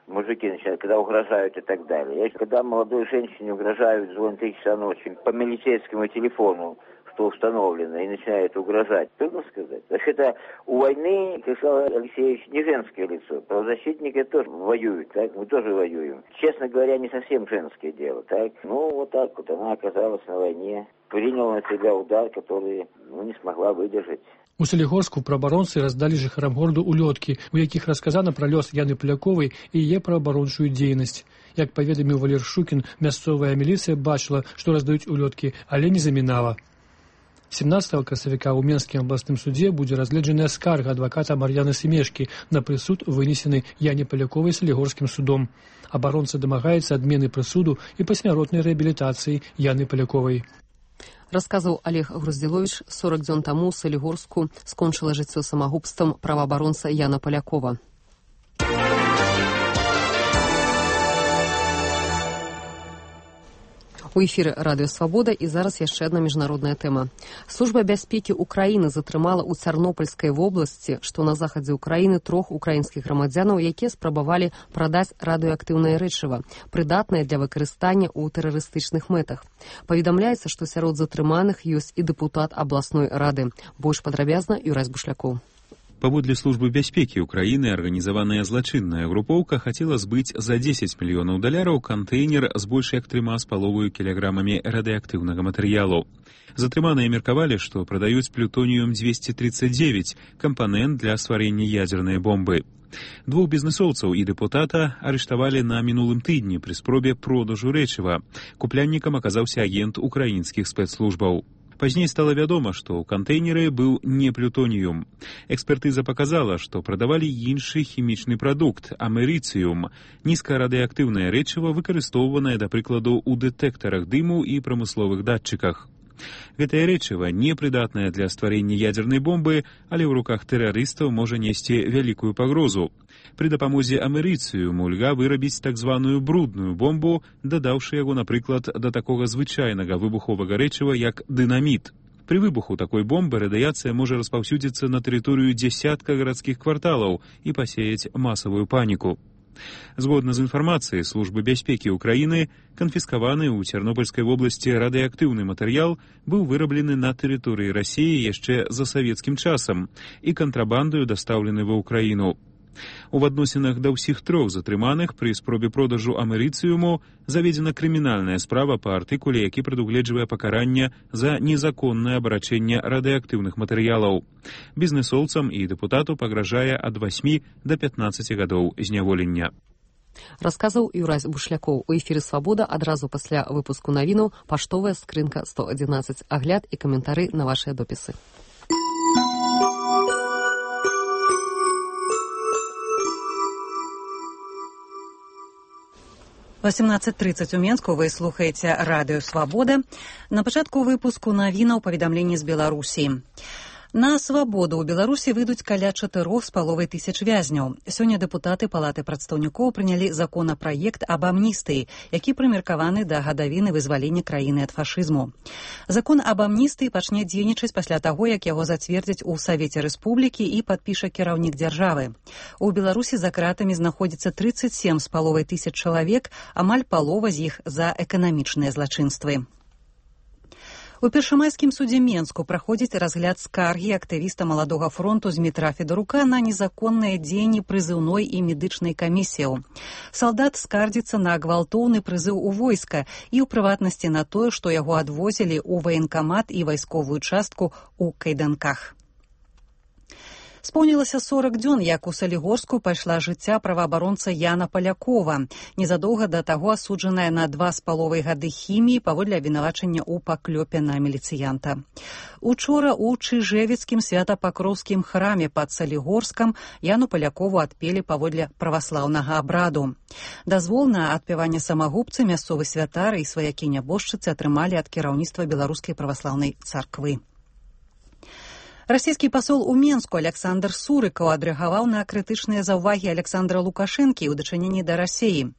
мужики начинают, когда угрожают и так далее. Когда молодой женщине угрожают, звонят три часа ночи по милицейскому телефону, что установлено, и начинают угрожать. Трудно сказать. Так это у войны, как сказал Алексеевич, не женское лицо. Правозащитники тоже воюют, так? Мы тоже воюем. Честно говоря, не совсем женское дело, так? Ну, вот так вот она оказалась на войне, приняла на себя удар, который, ну, не смогла выдержать. У Салігорску праабаронцы раздалі жыхарам гораду улёткі, у якіх расказана пра лёс Яны Паляковай і яе праабарончую дзейнасць. Як паведаміў Валер Шукін, мясцовая міліцыя бачыла, што раздаюць улёткі, але не замінала. семнадцатага красавіка ў Менскім абласным судзе будзе разгледжаная скарга адваката Мар'яны Семешкі на прысуд, вынесены Яне Паляковай Салігорскім судом. Абаронца дамагаецца адмены прысуду і пасмяротнай рэабілітацыі Яны Паляковай. Расказаў Олег Груздзіловіч. сорок дзён таму ў Салігорску скончыла жыццё самагубствам праваабаронца Яна Палякова. У эфіры радыё «Свабода» і зараз яшчэ адна міжнародная тэма. Служба бяспекі ўкраіны затрымала ў Цярнопольскай вобласці, што на захадзе ўкраіны, трох украінскіх грамадзянаў, якія спрабавалі прадаць радыеактыўнае рэчыва, прыдатнае для выкарыстання ў тэрарыстычных мэтах. Паведамляецца, што сярод затрыманых ёсць і дэпутат абласной рады. Больш падрабязна Юрась Бушлякоў. Паводле службы бяспекі ўкраіны арганізаваная злачынная групоўка хацела збыць за дзесяць мільёнаў даляраў кантэйнер з больш як трыма з паловаю кілаграмамі радыеактыўнага матэрыялу. Затрыманыя меркавалі, што прадаюць плютоніум двести тридцать девять, кампанент для стварэння ядзернай бомбы. Двух бізнесоўцаў і дэпутата арыштавалі на мінулым тыдні пры спробе продажу рэчыва. Купляннікам аказаўся агент украінскіх спецслужбаў. Пазней стала вядома, што ў кантэйнеры быў не плютоніум. Экспертыза паказала, што прадавалі іншы хімічны прадукт – амерыцыум, нізкарадыеактыўнае рэчыва, выкарыстоўванае, да прыкладу, у дэтэктарах дыму і прамысловых датчыках. Гэтае рэчыва непрыдатнае для стварэння ядзернай бомбы, але ў руках тэрарыстаў можа несці вялікую пагрозу. Пры дапамозе амерыцыуму льга вырабіць так званую брудную бомбу, дадаўшы яго, напрыклад, да такога звычайнага выбуховага рэчыва, як дынаміт. При выбуху такой бомбы радиация может распаўсюдзіцца на тэрыторыю дзясятка гарадскіх кварталаў і пасеяць масавую паніку. Згодна з інфармацыяй службы бяспекі ўкраіны, канфіскаваны ў Цярнобыльскай вобласці радыеактыўны матэрыял быў выраблены на тэрыторыі Расіі яшчэ за савецкім часам і кантрабандаю дастаўлены ва ўкраіну. У адносінах да ўсіх трох затрыманых пры спробе продажу амерыцыуму заведзена крымінальная справа па артыкуле, які прадугледжвае пакаранне за незаконнае абарачэнне радыеактыўных матэрыялаў. Бізнэсоўцам і дэпутату пагражае ад васьмі да пятнаццаці гадоў зняволення. Расказаў Юрась Бушлякоў. У эфіры «Свабода» адразу пасля выпуску навінаў паштовая скрынка сто адзінаццаць. Агляд і каментары на вашыя допісы. восемнадцать тридцать у Менску вы слухаеце радыё «Свабода». На пачатку выпуску навінаў паведамленні з Беларусі. На свабоду ў Беларусі выйдуць каля чатырох з паловай тысяч вязняў. Сёння дэпутаты Палаты прадстаўнікоў прынялі законапраект аб амністыі, які прымеркаваны да гадавіны вызвалення краіны ад фашызму. Закон аб амністыі пачне дзейнічаць пасля таго, як яго зацвердзяць у Савеце Рэспублікі і падпіша кіраўнік дзяржавы. У Беларусі за кратамі знаходзіцца тридцать семь з паловай тысяч чалавек, амаль палова з іх за эканамічныя злачынствы. У першамайскім судзе Менску праходзіць разгляд скаргі актывіста Маладога фронту Змітра Федарука на незаконныя дзеянні прызыўной і медычнай камісіяў. Салдат скардзіцца на гвалтоўны прызыў у войска і ў прыватнасці на тое, што яго адвозілі ў ваенкамат і вайсковую частку ў кайданках. Споўнілася сорок дзён, як у Салігорску пайшла жыцця праваабаронца Яна Палякова, незадоўга да таго асуджаная на два з паловай гады хіміі паводле абвінавачання ў паклёпе на міліцыянта. Учора ў Чыжэвіцкім свята-пакроўскім храме пад Салігорскам Яну Палякову адпелі паводле праваслаўнага абраду. Дазвол на адпяванне самагубцы мясцовы святар і сваякі-нябожчыцы атрымалі ад кіраўніцтва Беларускай праваслаўнай царквы. Расійскі пасол у Менску Александр Сурыкаў адрэагаваў на крытычныя заўвагі Александра Лукашэнкі ў дачыненні да Расіі.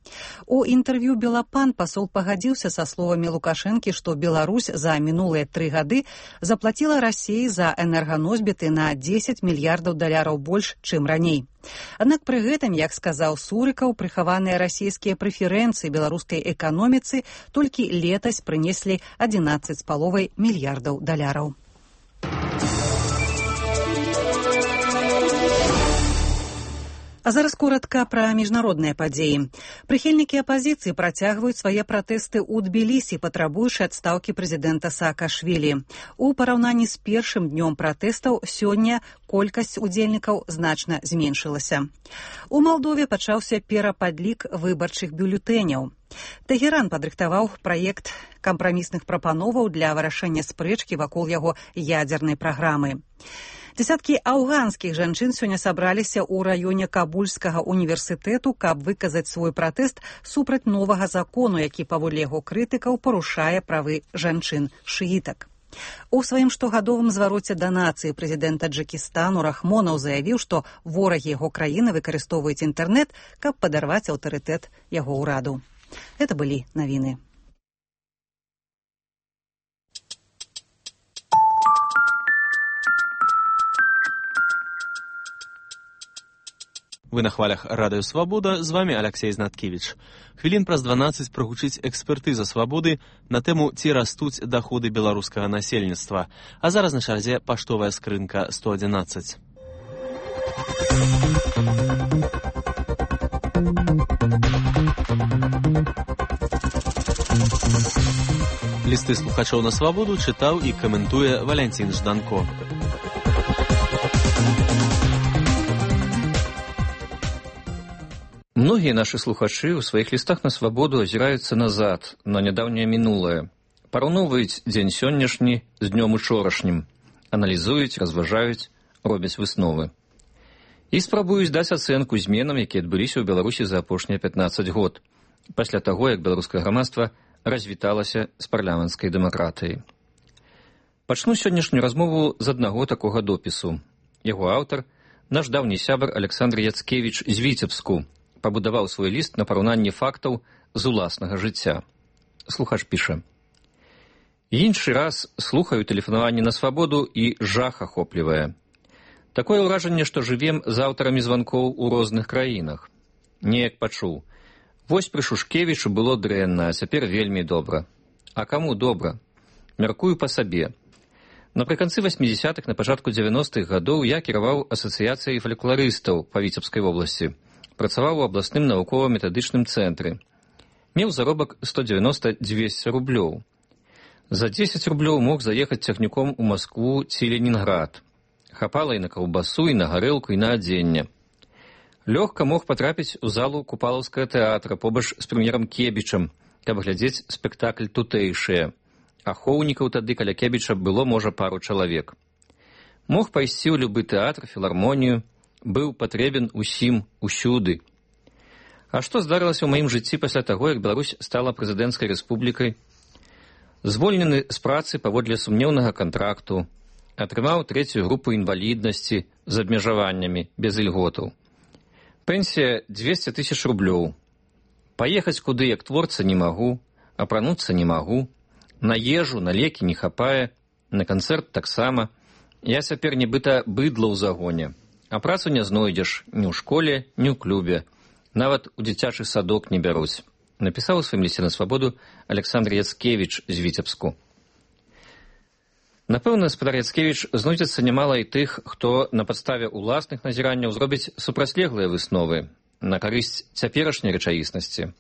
У інтэрв'ю «Белапан» пасол пагадзіўся са словамі Лукашэнкі, што Беларусь за мінулыя тры гады заплаціла Расіі за энерганосьбіты на дзесяць мільярдаў даляраў больш, чым раней. Аднак пры гэтым, як сказаў Сурыкаў, прыхаваныя расійскія прэферэнцыі беларускай эканоміцы толькі летась прынеслі адзінаццаць з паловай мільярдаў даляраў. А зараз коротка пра міжнародныя падзеі. Прыхільнікі апазіцыі працягваюць свае пратэсты ў Тбілісі, патрабуючы адстаўкі прэзідэнта Саакашвілі. У параўнанні з першым днём пратэстаў сёння колькасць удзельнікаў значна зменшылася. У Малдове пачаўся перападлік выбарчых бюлетэняў. Тэгеран падрыхтаваў праект кампрамісных прапановаў для вырашэння спрэчкі вакол яго ядзернай праграмы. Дзесяткі афганскіх жанчын сёння сабраліся ў раёне Кабульскага універсітэту, каб выказаць свой пратэст супраць новага закону, які паводле яго крытыкаў парушае правы жанчын-шыітак. У сваім штогадовым звароце да нацыі прэзідэнт Таджыкістану Рахмонаў заявіў, што ворагі яго краіны выкарыстоўваюць інтэрнэт, каб падарваць аўтарытэт яго ўраду. Гэта былі навіны. Вы на хвалях радыё «Свабода», з вами Алексей Знаткевич. Хвілін праз дванаццаць прагучыць экспертыза «Свабоды» на тэму «Ці растуць даходы беларускага насельніцтва». А зараз на чарзе паштовая скрынка сто адзінаццаць. Лісты слухачоў на «Свабоду» чытаў і каментуе Валянцін Жданко. Многія нашы слухачы ў сваіх лістах на «Свабоду» азіраюцца назад, на нядаўняе мінулае. Параўноўваюць дзень сённяшні з днём учорашнім, аналізуюць, разважаюць, робяць высновы. І спрабуюць даць ацэнку зменам, якія адбыліся ў Беларусі за апошнія пятнаццаць год, пасля таго, як беларускае грамадства развіталася з парламенцкай дэмакратыяй. Пачну сённяшнюю размову з аднаго такога допісу. Яго аўтар, наш даўні сябар Александр Яцкевіч з Віцебску, пабудаваў свой ліст на параўнанні фактаў з уласнага жыцця. Слухач піша: Іншы раз слухаю тэлефанаванне на свабоду і жах ахоплівае. Такое ўражанне, што жывем з аўтарамі званкоў у розных краінах. Неяк пачуў. Вось пры Шушкевічу было дрэнна, а цяпер вельмі добра. А каму добра? Мяркую па сабе. Напрыканцы васьмідзясятых, на пачатку дзевяностых гадоў я кіраваў асацыяцыяй фалькларыстаў па Віцебскай вобласці. Працаваў у абласным навукова-метадычным цэнтры. Меў заробак сто дзевяноста дзвесце рублёў. За дзесяць рублёў мог заехаць цягніком у Маскву ці Ленінград. Хапала і на каўбасу, і на гарэлку, і на адзенне. Лёгка мог патрапіць у залу Купалаўскага тэатра побач з прэм'ерам Кебічам, каб глядзець спектакль тутэйшыя. Ахоўнікаў тады каля Кебіча было, можа, пару чалавек. Мог пайсці ў любы тэатр, філармонію, быў патрэбен усім, усюды. А што здарылася ў маім жыцці пасля таго, як Беларусь стала прэзідэнцкай рэспублікай? Звольнены з працы паводле сумнеўнага кантракту, атрымаў трэцюю групу інваліднасці з абмежаваннямі, без ільготаў. Пенсія дзвесце тысяч рублёў. Паехаць куды, як творца, не магу, апрануцца не магу, на ежу, на лекі не хапае, на канцэрт таксама. Я цяпер нібыта быдла ў загоне, а працу не знойдзеш ні ў школе, ні ў клубе, нават у дзіцячы садок не бяруць. Напісаў у сваім лісце на свабоду Александр Яцкевіч з Віцебску. Напэўна, спадар Яцкевіч, знойдзецца нямала і тых, хто на падставе ўласных назіранняў зробіць супрацьлеглыя высновы на карысць цяперашняй рэчаіснасці.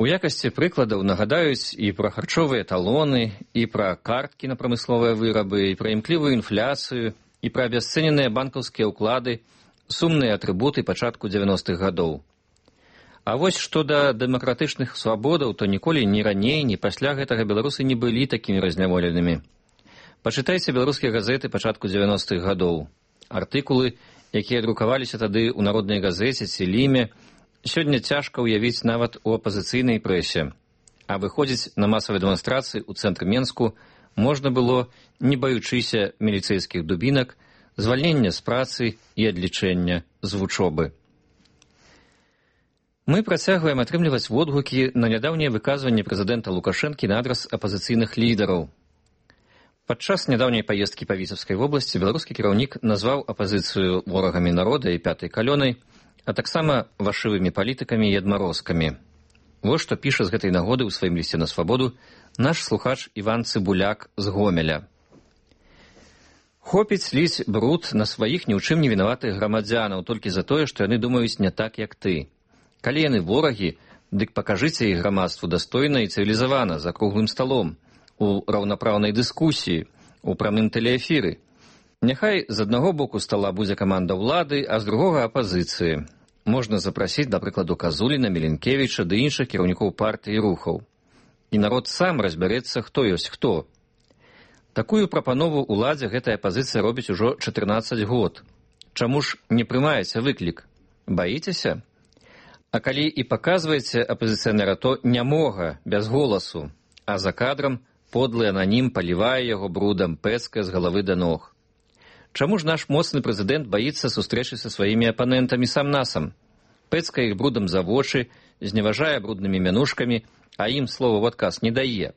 У якасці прыкладаў нагадаюць і пра харчовыя талоны, і пра карткі на прамысловыя вырабы, і пра імклівую інфляцыю, і пра абясцэненыя банкаўскія ўклады, сумныя атрыбуты пачатку дзевяностых гадоў. А вось што да дэмакратычных свабодаў, то ніколі ні раней, ні пасля гэтага беларусы не былі такімі разняволенымі. Пачытайце беларускія газеты пачатку дзевяностых гадоў. Артыкулы, якія друкаваліся тады ў народнай газеце ці ліме, сёння цяжка ўявіць нават у апазіцыйнай прэсе. А выходзіць на масавыя дэманстрацыі ў цэнтры Менску можна было, не баючыся міліцэйскіх дубінак, звальнення з працы і адлічэння з вучобы. Мы працягваем атрымліваць водгукі на нядаўнія выказванні прэзідэнта Лукашэнкі на адрас апазіцыйных лідараў. Падчас нядаўняй паездкі па Віцебскай вобласці беларускі кіраўнік назваў апазіцыю ворагамі народа і пятай калёнай, а таксама вашывымі палітыкамі і адмарозкамі. Вось што піша з гэтай нагоды ў сваім лісце на свабоду наш слухач Іван Цыбуляк з Гомеля. Хопіць ліць бруд на сваіх ні ў чым не вінаватых грамадзянаў толькі за тое, што яны думаюць не так, як ты. Калі яны ворагі, дык пакажыце іх грамадству дастойна і цывілізавана, за круглым сталом, у раўнапраўнай дыскусіі, у прамым тэлеэфіры. Няхай з аднаго боку стала будзе каманда ўлады, а з другога апазіцыі. Можна запрасіць, да прыкладу, Казуліна, Міленкевіча ды іншых кіраўнікоў партыі і рухаў. І народ сам разбярэцца, хто ёсць хто. Такую прапанову ўладзе гэтая апазіцыя робіць ужо чатырнаццаць год. Чаму ж не прымаеце выклік? Баіцеся? А калі і паказваеце апазіцыянера, то нямога, без голасу, а за кадрам подлы ананім палівае яго брудам, пэцкае з галавы да ног. Чаму ж наш моцны прэзідэнт баіцца сустрэчы са сваімі апанентамі сам-насам? Пэцкае іх брудам за вочы, зневажае бруднымі мянушкамі, а ім слова ў адказ не дае.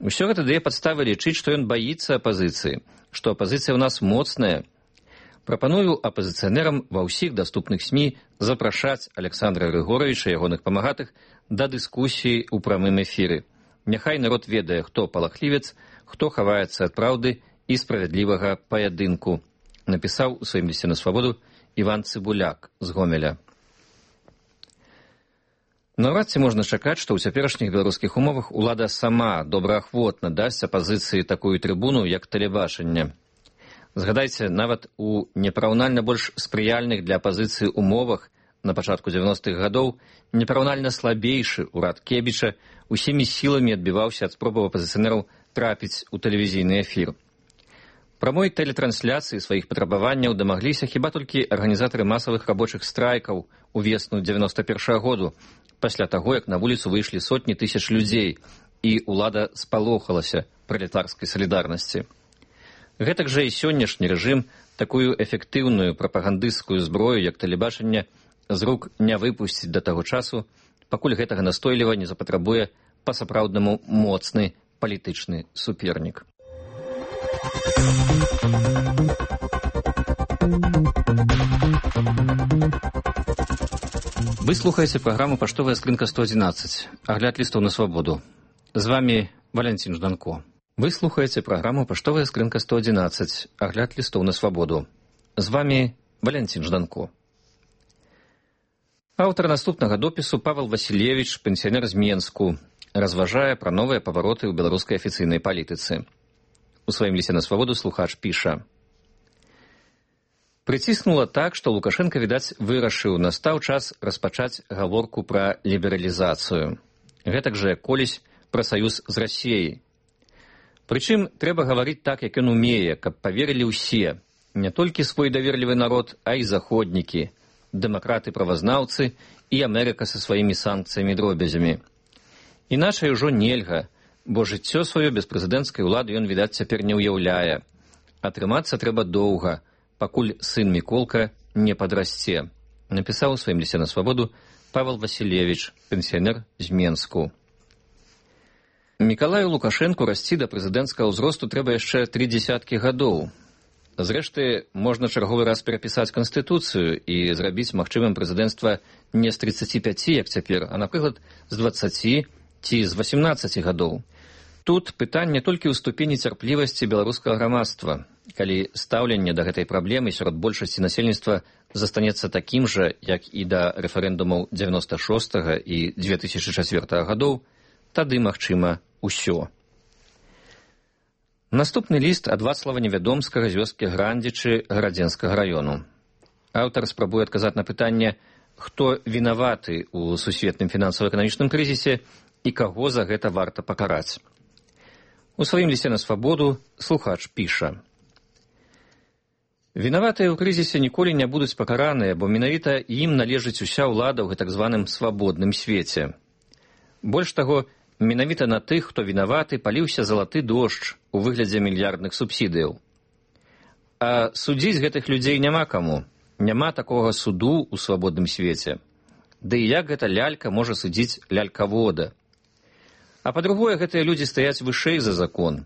Усё гэта дае падставы лічыць, што ён баіцца апазіцыі, што апазіцыя ў нас моцная. Прапаную апазіцыянерам ва ўсіх даступных СМІ запрашаць Александра Грыгоровича і ягоных памагатых да дыскусіі ў прамым эфіры. Няхай народ ведае, хто палахлівец, хто хаваецца ад праўды і справядлівага паядынку, напісаў у сваім лісце на свабоду Іван Цыбуляк з Гомеля. Наўрад ці можна чакаць, што ў цяперашніх беларускіх умовах улада сама добраахвотна дасць апазіцыі такую трыбуну, як тэлебачанне. Згадайце, нават у непараўнальна больш спрыяльных для апазіцыі умовах на пачатку дзевяностых гадоў непараўнальна слабейшы ўрад Кебіча усімі сіламі адбіваўся ад спробаў апазіцыянераў трапіць у тэлевізійны эфір. Прамой тэлетрансляцыі сваіх патрабаванняў дамагліся хіба толькі арганізатары масавых рабочых страйкаў у весну дзевяноста першага году, пасля таго, як на вуліцу выйшлі сотні тысяч людзей, і ўлада спалохалася пралетарскай салідарнасці. Гэтак жа і сённяшні рэжым такую эфектыўную прапагандысцкую зброю, як тэлебачанне, з рук не выпусціць да таго часу, пакуль гэтага настойліва не запатрабуе па-сапраўднаму моцны палітычны супернік. Вы слухаеце праграму «Паштовая скрынка сто адзінаццаць», агляд лістоў на свабоду. З вами Валянцін Жданко. Вы слухаеце праграму «Паштовая скрынка сто адзінаццаць», агляд лістоў на свабоду. З вами Валянцін Жданко. Аўтар наступнага допісу Павел Васильевич, пенсіянер з Менску, разважае пра новыя павароты ў беларускай афіцыйнай палітыцы. У сваім лісце на свабоду слухач піша: «Прыціснула так, што Лукашенко, відаць, вырашыў, настаў час распачаць гаворку пра лібералізацыю. Гэтак жа, як колісь, пра саюз з Расіяй. Прычым, трэба гаварыць так, як ён умее, каб паверылі ўсе, не толькі свой даверлівы народ, а і заходнікі, дэмакраты-правазнаўцы і Амерыка са сваімі санкцыямі-дробязямі. Іначай ужо нельга, бо жыццё сваё без прэзідэнцкай улады ён, відаць, цяпер не ўяўляе. Атрымацца трэба доўга, пакуль сын Міколка не падрасце», напісаў у сваім лісце на свабоду Павел Васильевич, пенсіянер з Менску. Мікалаю Лукашэнку расці да прэзідэнцкага ўзросту трэба яшчэ тры дзесяткі гадоў. Зрэшты, можна чарговы раз перапісаць Канстытуцыю і зрабіць магчымым прэзідэнцтва не з трыццаці пяці, як цяпер, а, напрыклад, з дваццаці ці з васемнаццаці гадоў. Тут пытанне толькі ў ступені цярплівасці беларускага грамадства, калі стаўленне да гэтай праблемы сярод большасці насельніцтва застанецца такім жа, як і да рэферэндумаў дзевяноста шостага і дзве тысячы чацвёртага гадоў, тады магчыма ўсё. Наступны ліст ад Вацлава Невядомскага з вёскі Грандзічы Гарадзенскага раёну. Аўтар спрабуе адказаць на пытанне, хто вінаваты ў сусветным фінансава-эканамічным крызісе і каго за гэта варта пакараць. У сваім лісце на свабоду слухач піша: «Вінаватыя ў крызісе ніколі не будуць пакараныя, бо менавіта ім належыць уся ўлада ў гэтак званым свабодным свеце. Больш таго, менавіта на тых, хто вінаваты, паліўся залаты дождж у выглядзе мільярдных субсідыяў. А судзіць гэтых людзей няма каму, няма такога суду ў свабодным свеце. Ды і як гэта лялька можа судзіць лялькавода? А па-другое, гэтыя людзі стаяць вышэй за закон.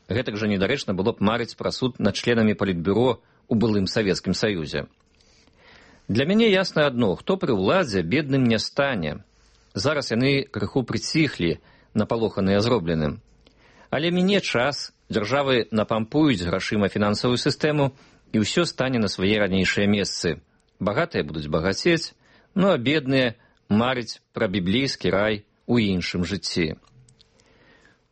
Гэтак жа недарэчна было б марыць пра суд над членамі палітбюро у былым Савецкім Саюзе. Для мяне ясна адно, хто пры ўладзе бедным не стане. Зараз яны крыху прыціхлі, напалоханыя зробленым. Але міне час, дзяржавы напампуюць грашыма фінансавую сістэму, і ўсё стане на свае ранейшыя месцы. Багатыя будуць багацець, ну а бедныя марыць пра біблейскі рай у іншым жыцці».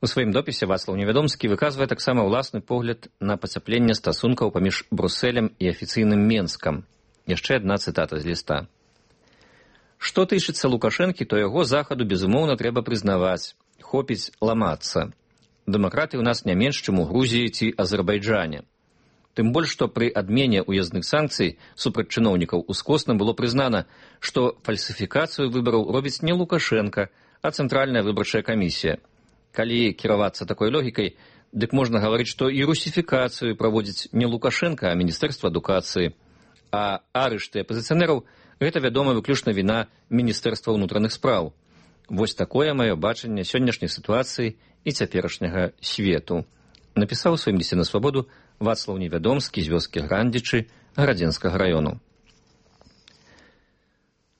У сваім допісе Вацлаў Невядомскі выказвае таксама ўласны погляд на пацяпленне стасункаў паміж Брусэлем і афіцыйным Менскам. Яшчэ адна цытата з ліста. «Што тычыцца Лукашэнкі, то яго захаду, безумоўна, трэба прызнаваць. Хопіць ламацца. Дэмакраты ў нас не менш, чым у Грузіі ці Азербайджане. Тым больш, што пры адмене ўязных санкцый супраць чыноўнікаў ускосна было прызнана, што фальсіфікацыю выбараў робіць не Лукашенка, а Цэнтральная выбарчая камісія. Калі кіравацца такой логікай, дык можна гаварыць, што і русіфікацыю праводзіць не Лукашенка, а Міністэрства адукацыі. А арышты апазіцыянераў – гэта, вядома, выключна віна Міністэрства ўнутраных спраў. Вось такое маё бачанне сённяшняй сітуацыі і цяперашняга свету», напісаў у сваім лісце на свабоду Вацлаў Невядомскі з вёскі Грандзічы Гарадзенскага раёну.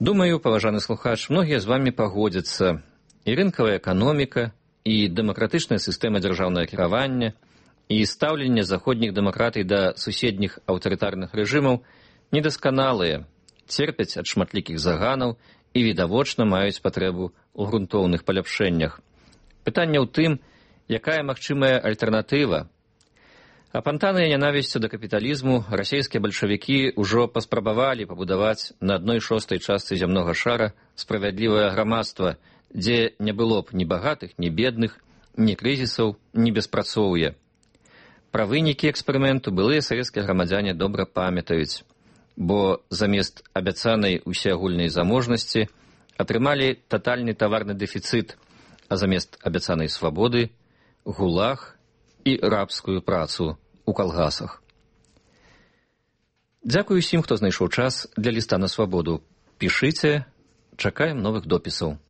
Думаю, паважаны слухач, многія з вамі пагодзяцца. І рынкавая эканоміка, і дэмакратычная сістэма дзяржаўнага кіравання, і стаўленне заходніх дэмакратый да суседніх аўтарытарных рэжымаў недасканалыя, церпяць ад шматлікіх заганаў і відавочна маюць патрэбу ў грунтоўных паляпшэннях. Пытанне ў тым, якая магчымая альтэрнатыва. Апантаныя нянавісцю да капіталізму расійскія бальшавікі ўжо паспрабавалі пабудаваць на адной шостай частцы зямнога шара справядлівае грамадства, дзе не было б ні багатых, ні бедных, ні крызісаў, ні беспрацоўя. Пра вынікі эксперыменту былыя савецкія грамадзяне добра памятаюць, бо замест абяцанай усеагульнай заможнасці атрымалі татальны таварны дэфіцыт, а замест абяцанай свабоды – гулаг і рабскую працу ў калгасах. Дзякую усім, хто знайшоў час для ліста на свабоду. Пішыце, чакаем новых допісаў.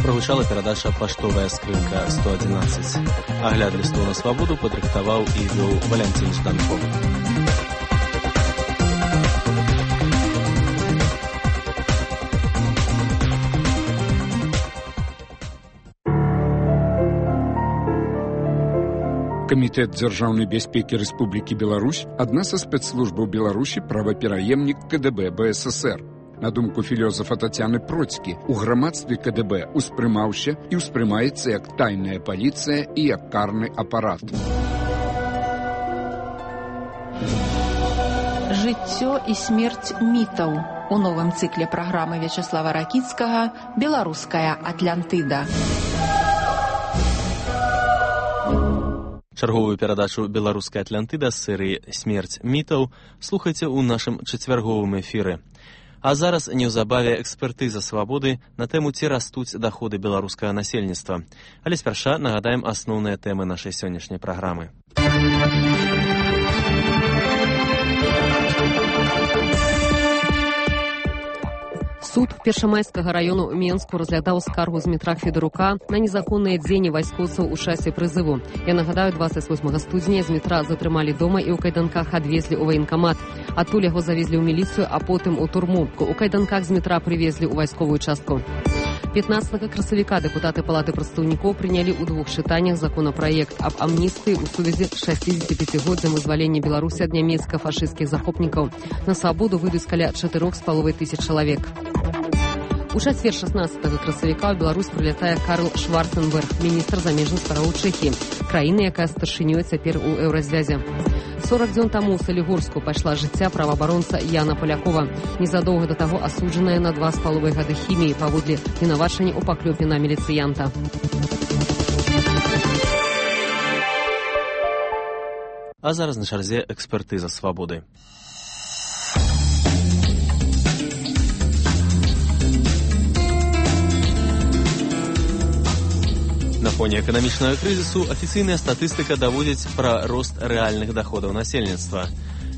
Прагучала перадача «Паштовая скрынка сто одиннадцать». Агляд лістоў на свабоду падрыхтаваў і вёў Валянцін Жданков. Камітэт дзяржаўнай бяспекі Рэспублікі Беларусь — адна са спецслужбаў Беларусі, правапераемнік КДБ БССР. На думку філёзафа Тацяны Процькі, у грамадстве КДБ успрымаўся і ўспрымаецца як тайная паліцыя і як карны апарат. Жыццё і смерць мітаў у новым цыкле праграмы Вячаслава Ракіцкага «Беларуская Атлантыда». Чарговую перадачу «Беларуская Атлантыда» з серыі «Смерць мітаў» слухайце ў нашым чацвярговым эфіры. А зараз неўзабаве экспертыза свабоды на тэму, ці растуць даходы беларускага насельніцтва. Але спярша нагадаем асноўныя тэмы нашай сённяшняй праграмы. Суд Першамайскага раёну Менску разглядаў скаргу Змітра Федарука на незаконныя дзеянні вайскоўцаў у часе прызыву. Я нагадаю, дваццаць восьмага студзеня Змітра затрымалі дома і ў кайданках адвезлі ў ваенкамат. Адтуль яго завезлі ў міліцыю, а потым у турму. У кайданках Змітра прывезлі ў вайсковую частку. пятнадцатага красавіка дэпутаты Палаты прадстаўнікоў прынялі ў двух чытаннях законапраект аб амністыі ў сувязі з шасцідзесяціпяцігоддзям вызвалення Беларусі ад нямецка-фашысцкіх захопнікаў. На свабоду выйдуць каля чатырох з паловай тысяч чалавек. У чацвер шаснаццатага красавіка ў Беларусь прылятае Карл Шварценберг, міністр замежных справаў Чэхіі, краіны, якая старшынёй цяпер у еўразвязе. сорок дзён таму ў Салігорску пайшла жыцця праваабаронца Яна Палякова, незадоўга да таго асуджаная на два з паловай гады хіміі паводле вінавачання ў паклёпе на міліцыянта. А зараз на чарзе экспертыза свабоды. На фоне эканамічнага крызісу афіцыйная статыстыка даводзіць пра рост рэальных даходаў насельніцтва.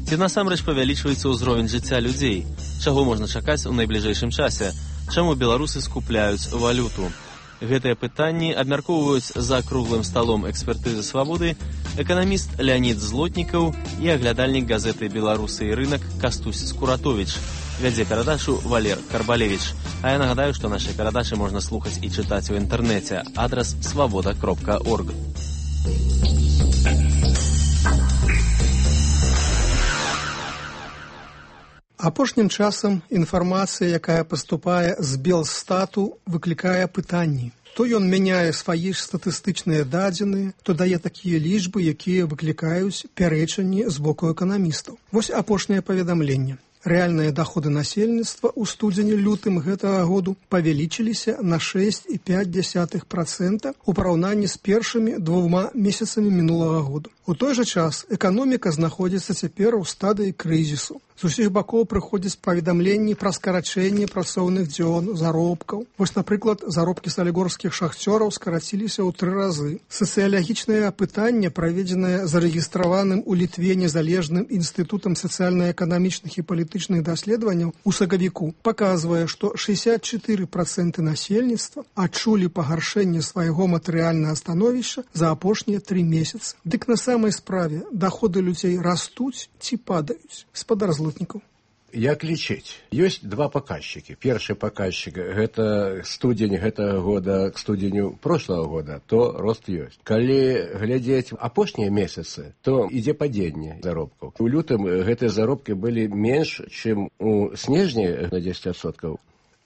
Ці насамрэч павялічваецца ўзровень жыцця людзей? Чаго можна чакаць у найбліжэйшым часе? Чаму беларусы скупляюць валюту? Гэтыя пытанні абмяркоўваюць за круглым сталом экспертызы свабоды эканаміст Леонід Злотнікаў і аглядальнік газеты «Беларусы і рынак» Кастусь Скуратович. Вядзе перадачу Валер Карбалевич. А я нагадаю, што нашай перадачы можна слухаць і чытаць у інтэрнэце. Адрас свабода кропка орг. Апошнім часам інфармацыя, якая паступае з Белстату, выклікае пытанні. То ён мяняе свае статыстычныя дадзеныя, то дае такія лічбы, якія выклікаюць пярэчанні з боку эканамістаў. Вось апошняе паведамленне. Рэальныя даходы насельніцтва ў студзені-лютым гэтага году павялічыліся на шэсць і пяць дзесятых працэнта ў параўнанні з першымі двума месяцамі мінулага году. У той жа час эканоміка знаходзіцца цяпер у стадыі крызісу. З усіх бакоў прыходзяць паведамленні пра скарачэнне працоўных дзён, заробкаў. Вось, напрыклад, заробкі салігорскіх шахцёраў скараціліся ў тры разы. Сацыялагічнае апытанне, праведзенае зарэгістраваным у Літве незалежным інстытутам сацыяльна-эканамічных і палітычных даследаванняў у сакавіку, паказвае, што шэсцьдзесят чатыры працэнты насельніцтва адчулі пагаршэнне свайго матэрыяльнага становішча за апошнія тры месяцы. Дык на самай справе даходы людзей растуць ці падаюць? Спадар Злотнікаў. Як лічыць? Ёсць два паказчыкі. Першы паказчык – гэта студзень гэтага года к студзеню прошлого года, то рост ёсць. Калі глядзець апошнія месяцы, то ідзе падзенне заробкаў. У лютым гэтыя заробкі былі менш, чым у снежні на дзесяць адсоткаў.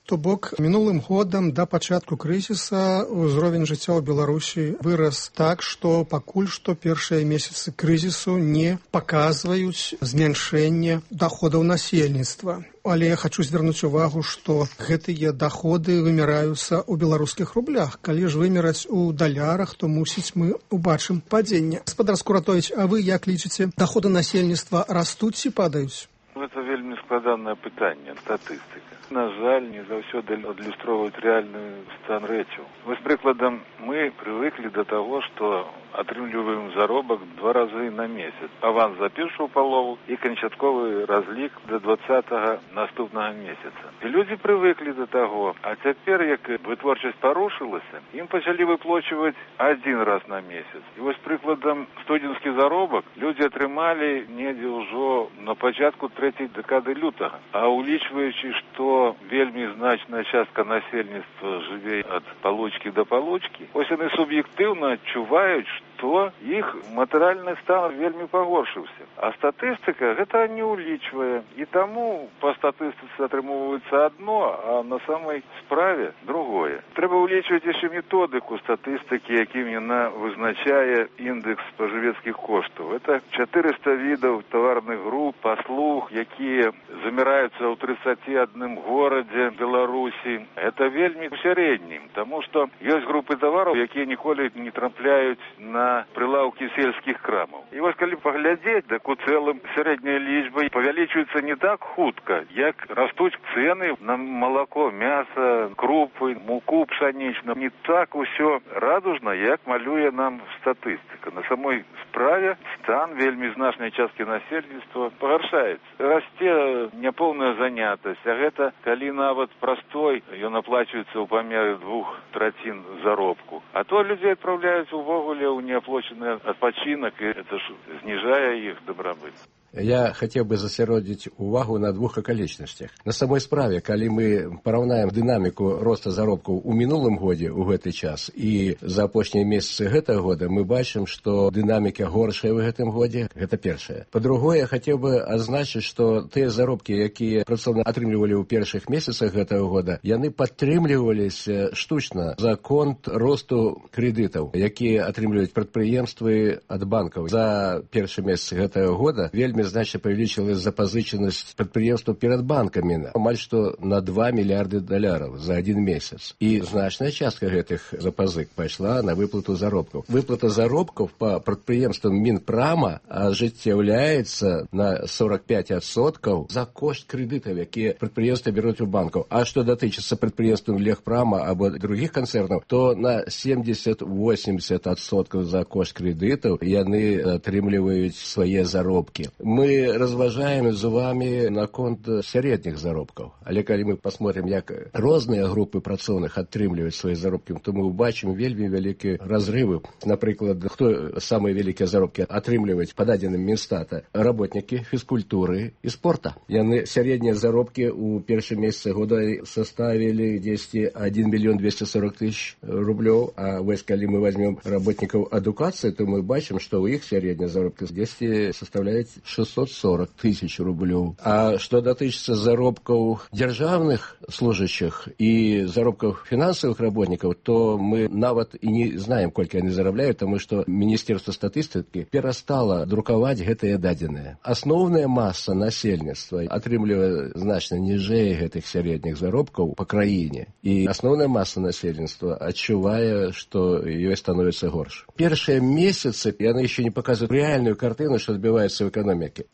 То бок, мінулым годам да пачатку крызіса ўзровень жыцця ў Беларусі вырас так, што пакуль што першыя месяцы крызісу не паказваюць змяншэнне даходаў насельніцтва. Але я хочу звярнуць увагу, што гэтыя даходы вымяраюцца ў беларускіх рублях. Калі ж вымераць у далярах, то мусіць мы убачым падзенне. Спадар Скуратович, а вы як лічыце, даходы насельніцтва растуць ці падаюць? Гэта вельмі складанае пытанне, статыстыка. На жаль, не заўсёды адлюстроўваюць рэальны стан рэчаў. Вось прыкладам, мы прывыклі да таго, што атрымліваем заробак два разы на месяц. Аванс за першую палову і канчатковы разлік да двадцатага наступнага месяца. І людзі прывыклі да таго, а цяпер, як вытворчасць парушылася, ім пачалі выплачваць адзін раз на месяц. І вось прыкладам студзенскі заробак людзі атрымалі недзе ўжо на пачатку трэцяй дэкады лютага. А улічваючы, што вельмі значная частка насельніцтва жыве ад палочкі да палочкі, ось яны суб'ектыўна адчуваюць, што іх матэрыяльны стан вельмі пагоршыўся. А статыстыка гэта не улічвае. І таму па статыстыцы атрымоўваецца адно, а на самай справе другое. Трэба улічваць яшчэ методыку статыстыкі, якім яна вызначае індекс спажывецкіх коштаў. Это чатырыста відаў таварных груп, паслуг, якія заміраюцца ў трыццаці адным горадзе Беларусі. Это вельмі ў сярэднім, таму што ёсць групы тавараў, якія ніколі не трапляюць на прилавки сельских крамаў. І вось калі паглядзець, так у цэлым сярэдняя лічба павялічваецца не так хутка, як растуць цэны на малако, мяса, крупы, муку пшанічную. Не так усё радужна, як малюе нам статыстыка. На самой справе стан вельмі значнай часткі насельніцтва пагаршаецца. Расце няпоўная занятасць, а гэта калі нават простой ён аплачваецца ў памеры двух трацін заробку. А то людзей адпраўляюць увогуле ў неаплачаны адпачынак, і это ж зніжае іх дабрабыт. Я хотел бы засяродзіць увагу на двух акалічнасцях. На самой справе, калі мы параўнаем дынаміку роста заробкаў у мінулым годзе ў гэты час і за апошнія месяцы гэтага года, мы бачым, што дынаміка горшая ў гэтым годзе. Гэта першае. Па-другое, я хацеў бы адзначыць, што тыя заробкі, якія працоўны атрымлівалі ў першых месяцах гэтага года, яны падтрымліваліся штучна за конт росту крэдытаў, якія атрымліваюць прадпрыемствы ад банкаў. За першы месяц гэтага года вельмі значна павялічылася запазычанасць прадпрыемстваў перад банкамі амаль што на два мільярды даляраў за адзін месяц. І значная частка гэтых запазык пайшла на выплату заробкаў. Выплата заробкаў па прадпрыемствам Мінпрама ажыццяўляецца на сорок пять адсоткаў за кошт крэдытаў, якія прадпрыемствы бяруць у банкаў. А што датычыцца прадпрыемствам Легпрама або другіх канцэрнаў, то на семьдесят-восемьдесят адсоткаў за кошт крэдытаў яны атрымліваюць свае заробкі. Мы разважаем з вами наконт сярэдніх заробкаў. Але калі мы посмотрим, як розныя групы працоўных атрымліваюць свае заробкі, то мы убачым вельмі вялікія разрывы. Напрыклад, хто самыя вялікія заробкі атрымліваюць па дадзеным Мінстата? Работнікі фізкультуры і спорта. Яны сярэднія заробкі ў першым месяцы года составілі дзесьці адзін мільён двести сорок тысяч рублёў, а вось калі мы возьмем работнікаў адукацыі, то мы бачым, што ў іх сярэднія заробкі дзесьці составляюць шестьсот сорок тысяч рублёў. А што датычыцца заробкаў дзяржаўных служащих і заробкаў фінансавых работнікаў, то мы нават і не знаем, колькі яны зарабляюць, таму што Міністэрства статыстыкі перастала друкаваць гэтыя дадзеныя. Асноўная маса насельніцтва атрымлівае значна ніжэй гэтых сярэдніх заробкаў па краіне. І асноўная маса насельніцтва адчувае, што ёй становіцца горш. Першыя месяцы яны яшчэ не паказваюць рэальную картыну, што адбываецца ў эканомікі.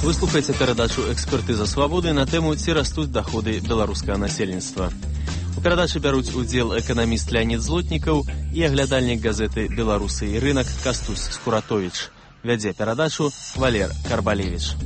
Вы слухаеце перадачу «Экспертыза свабоды» на тэму «Ці растуць даходы беларускага насельніцтва». У перадачы бяруць удзел эканаміст Леонид Злотнікаў і аглядальнік газеты «Беларусы і рынак» Кастусь Скуратович. Вядзе перадачу Валер Карбалевич.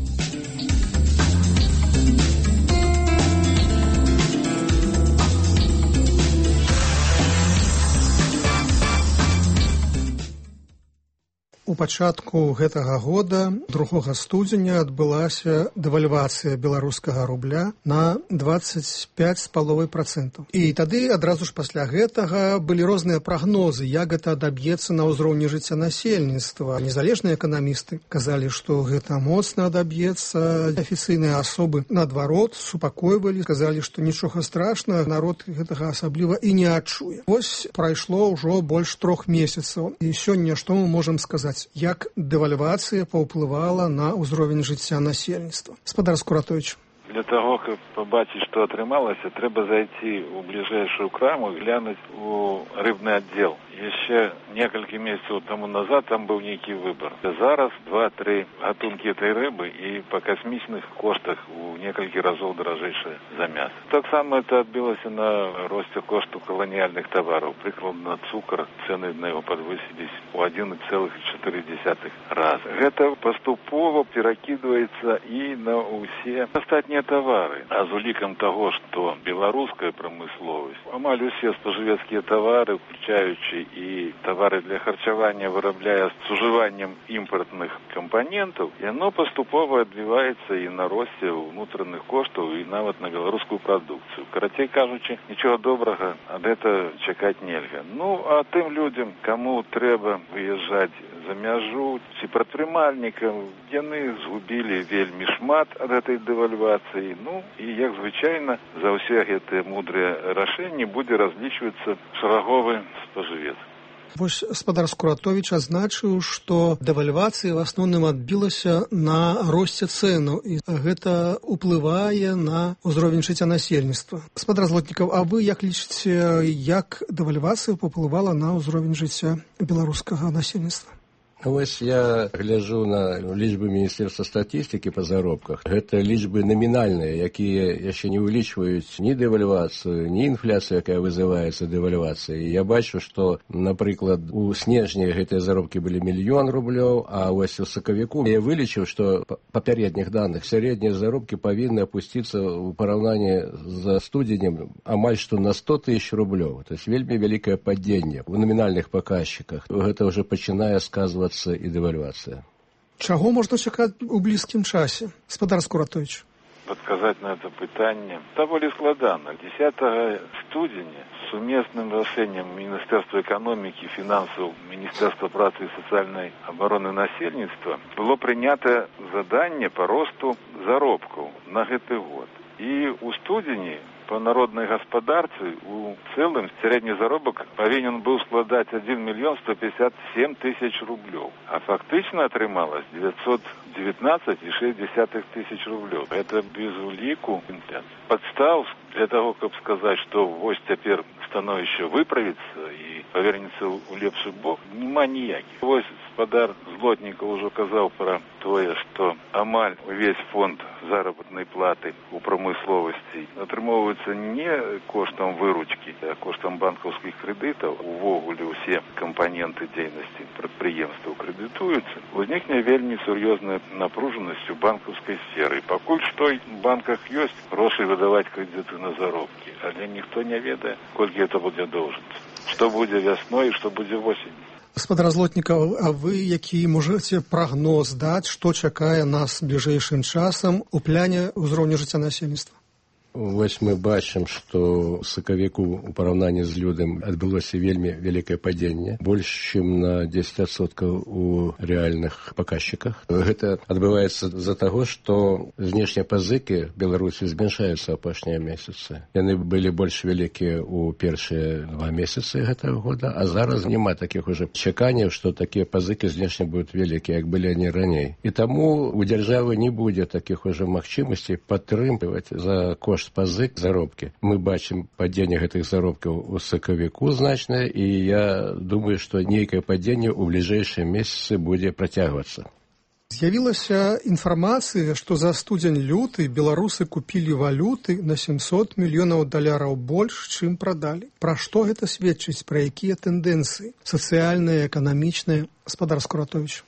У пачатку гэтага года, другога студзеня, адбылася дэвальвацыя беларускага рубля на двадцать пять з паловай процентаў. І тады адразу ж пасля гэтага былі розныя прагнозы, як гэта адаб'ецца на ўзроўні жыцця насельніцтва. Незалежныя эканамісты казалі, што гэта моцна адаб'ецца. Афіцыйныя асобы, наадварот, супакойвалі, казалі, што нічога страшнага, народ гэтага асабліва і не адчуе. Вось прайшло ўжо больш трох месяцаў. І сёння што мы можам сказаць? Як дэвальвацыя паўплывала на ўзровень жыцця насельніцтва? Спадар Скуратович. Для того, каб пабачыць, што атрымалася, трэба зайти ў бліжэйшую краму і глянуць у рыбны аддзел. Еще несколько месяцев тому назад там был некий выбор. Зараз два-три гатунки этой рыбы и по космичных коштах у нескольких разов дорожейшее за мясо. Так само это отбилось и на росте кошту колониальных товаров. Прикладно цукор, цены на его подвысились у один целых четыре десятых раза. Это поступово перекидывается и на усе остатние товары. А с уликом того, что белорусская промысловость, амаль усе споживецкие товары, включающие и товары для харчевания, вырабляя с уживанием импортных компонентов, и оно поступово отбивается и на росте внутренних коштов, и нават на белорусскую продукцию. Коротей кажучи, ничего доброго от этого чекать нельзя. Ну, а тем людям, кому треба выезжать за мяжу, ці прадпрымальнікам, яны згубілі вельмі шмат ад этой дэвальвацыі. Ну, і, як звычайна, за ўсе гэтыя мудрыя рашэнні будзе разлічвацца шараговы спажывец. Вось спадар Скуратович азначыў, што дэвальвацыя в асноўным адбілася на росце цэнаў, і гэта ўплывае на ўзровень жыцця насельніцтва. Спадар Злотнікаў, а вы як лічыце, як дэвальвацыя паўплывала на ўзровень жыцця беларускага насельніцтва? Вось я гляжу на лічбы Міністэрства статыстыкі па заробках. Гэта лічбы намінальныя, якія яшчэ не ўлічваюць ні дэвальвацыю, ні інфляцыю, якая вызываецца дэвальвацыяй. Я бачу, што, напрыклад, у снежні гэтыя заробкі былі мільён рублёў, а вось у сакавіку я вылічыў, што па папярэдніх даных сярэднія заробкі павінны апусціцца ў параўнанні з студзенем амаль што на сто тысяч рублёў. То есть вельмі вялікае падзенне у намінальных паказчыках. Гэта ўжо пачынае сказвацца і дэвальвацыя. Чаго можна чакаць у блізкім часе? Спадар Скуратович. Подказать на это пытание довольно складано. десятого студеня сумесным решением Министерства экономики, финансов, Министерства працы и социальной обороны насельніцтва было принято задание по росту заробков на гэты год. И у студені по народной господарцы у целым средний заробок повинен был складать один миллион сто пятьдесят семь тысяч рублей. А фактично отрымалось девятьсот девятнадцать и шесть десятых тысяч рублей. Это без улику инфляции. Подстав для того, чтобы сказать, что вось теперь становище выправится и повернется у лепший бок, нема ніяких. Вось спадар Злотнікаў уже казал про тое, что амаль весь фонд заработной платы у промысловости отрымоўваецца не коштом выручки, а коштом банковских кредитов. Увогуле все компоненты деятельности предприемства кредитуются. Возникне вельмі серьезная напруженность у банковской сферы. И покуль что в банках есть гроши выдавать кредиты на заробки, але ніхто не ведае, колькі это будет должность. Что будет весной и что будет осенью. Спадар Злотнікаў, а вы які можаце прагноз даць, што чакае нас бліжэйшым часам у пляне ўзроўня жыцця насельніцтва? Вось мы бачым, што сакавіку у параўнанні з лютым адбылося вельмі вялікае падзенне, больш чым на дзесяць адсоткаў у рэальных паказчыках. Гэта адбываецца з-за таго, што знешнія пазыкі Беларусі змяншаюцца апошнія месяцы. Яны былі больш вялікія ў першыя два месяцы гэтага года, а зараз няма такіх ужо чаканняў, што такія пазыкі знешне будуць вялікія, як былі они раней. І таму у дзяржавы не будзе такіх ужо магчымасцей падтрымліваць за кошт пазык заробкі. Мы бачым падзенне гэтых заробкаў у сакавіку значнае, і я думаю, што нейкае падзенне ў бліжэйшыя месяцы будзе працягвацца. З'явілася інфармацыя, што за студзень-люты беларусы купілі валюты на сямсот мільёнаў даляраў больш, чым прадалі. Пра што гэта сведчыць, пра якія тэндэнцыі сацыяльныя, эканамічныя? Спадар Скуратович.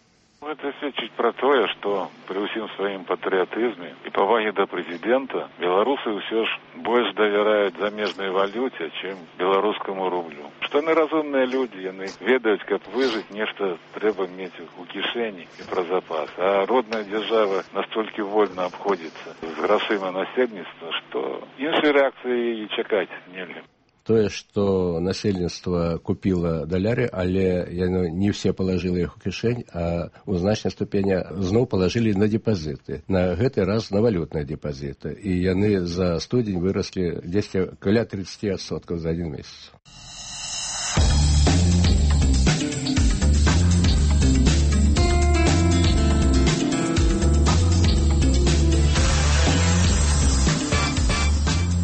Это сведчыць про тое, што при ўсім сваім патрыятызме і павагі да прэзідэнта беларусы ўсё ж больш давяраюць замежнай валюце, чым беларускаму рублю. Што яны разумныя людзі, яны ведаюць, каб выжыць, нешта трэба мець у кішэні і пра запас. А родная дзяржава настолькі вольна абходзіцца з грашыма насельніцтва, што іншай рэакцыі і чакаць нельга. Тое, што насельніцтва купіла даляры, але яно не все палажылі іх у кішэнь, а ў значнай ступені зноў палажылі на депазіты. На гэты раз на валютныя депазіты. І яны за студзень выраслі дзесьці каля тридцать адсоткаў за один месяц.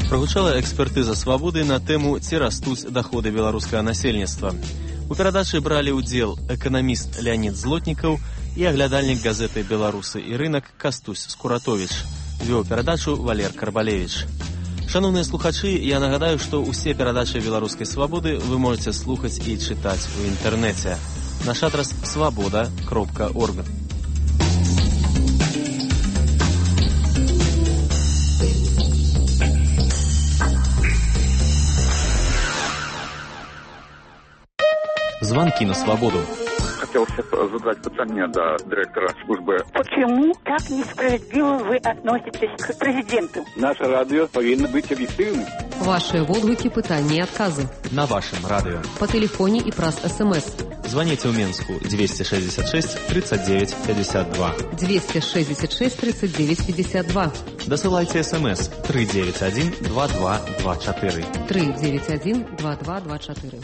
Прагучала экспертыза «Свабоды» на тэму «Ці растуць даходы беларускага насельніцтва». У перадачы бралі ўдзел эканаміст Леонид Злотнікаў і аглядальнік газеты «Беларусы і рынак» Кастусь Скуратович. Вёў перадачу Валер Карбалевич. Шановныя слухачы, я нагадаю, што ўсе перадачы «Беларускай свабоды» вы можете слухаць і чытаць у інтэрнэце. Наш адрас свабода кропка орг. Звонки на свободу. Хотелось задать питание до директора службы. Почему так несправедливо вы относитесь к президенту? Наше радио повинно быть объективным. Ваши водгуки, пытания и отказы. На вашем радио. По телефоне и праз СМС. Звоните в Минску двести шестьдесят шесть тридцать девять пятьдесят два. двести шестьдесят шесть тридцать девять пятьдесят два. Досылайте СМС три девять один два два два четыре. три девять один два два два четыре.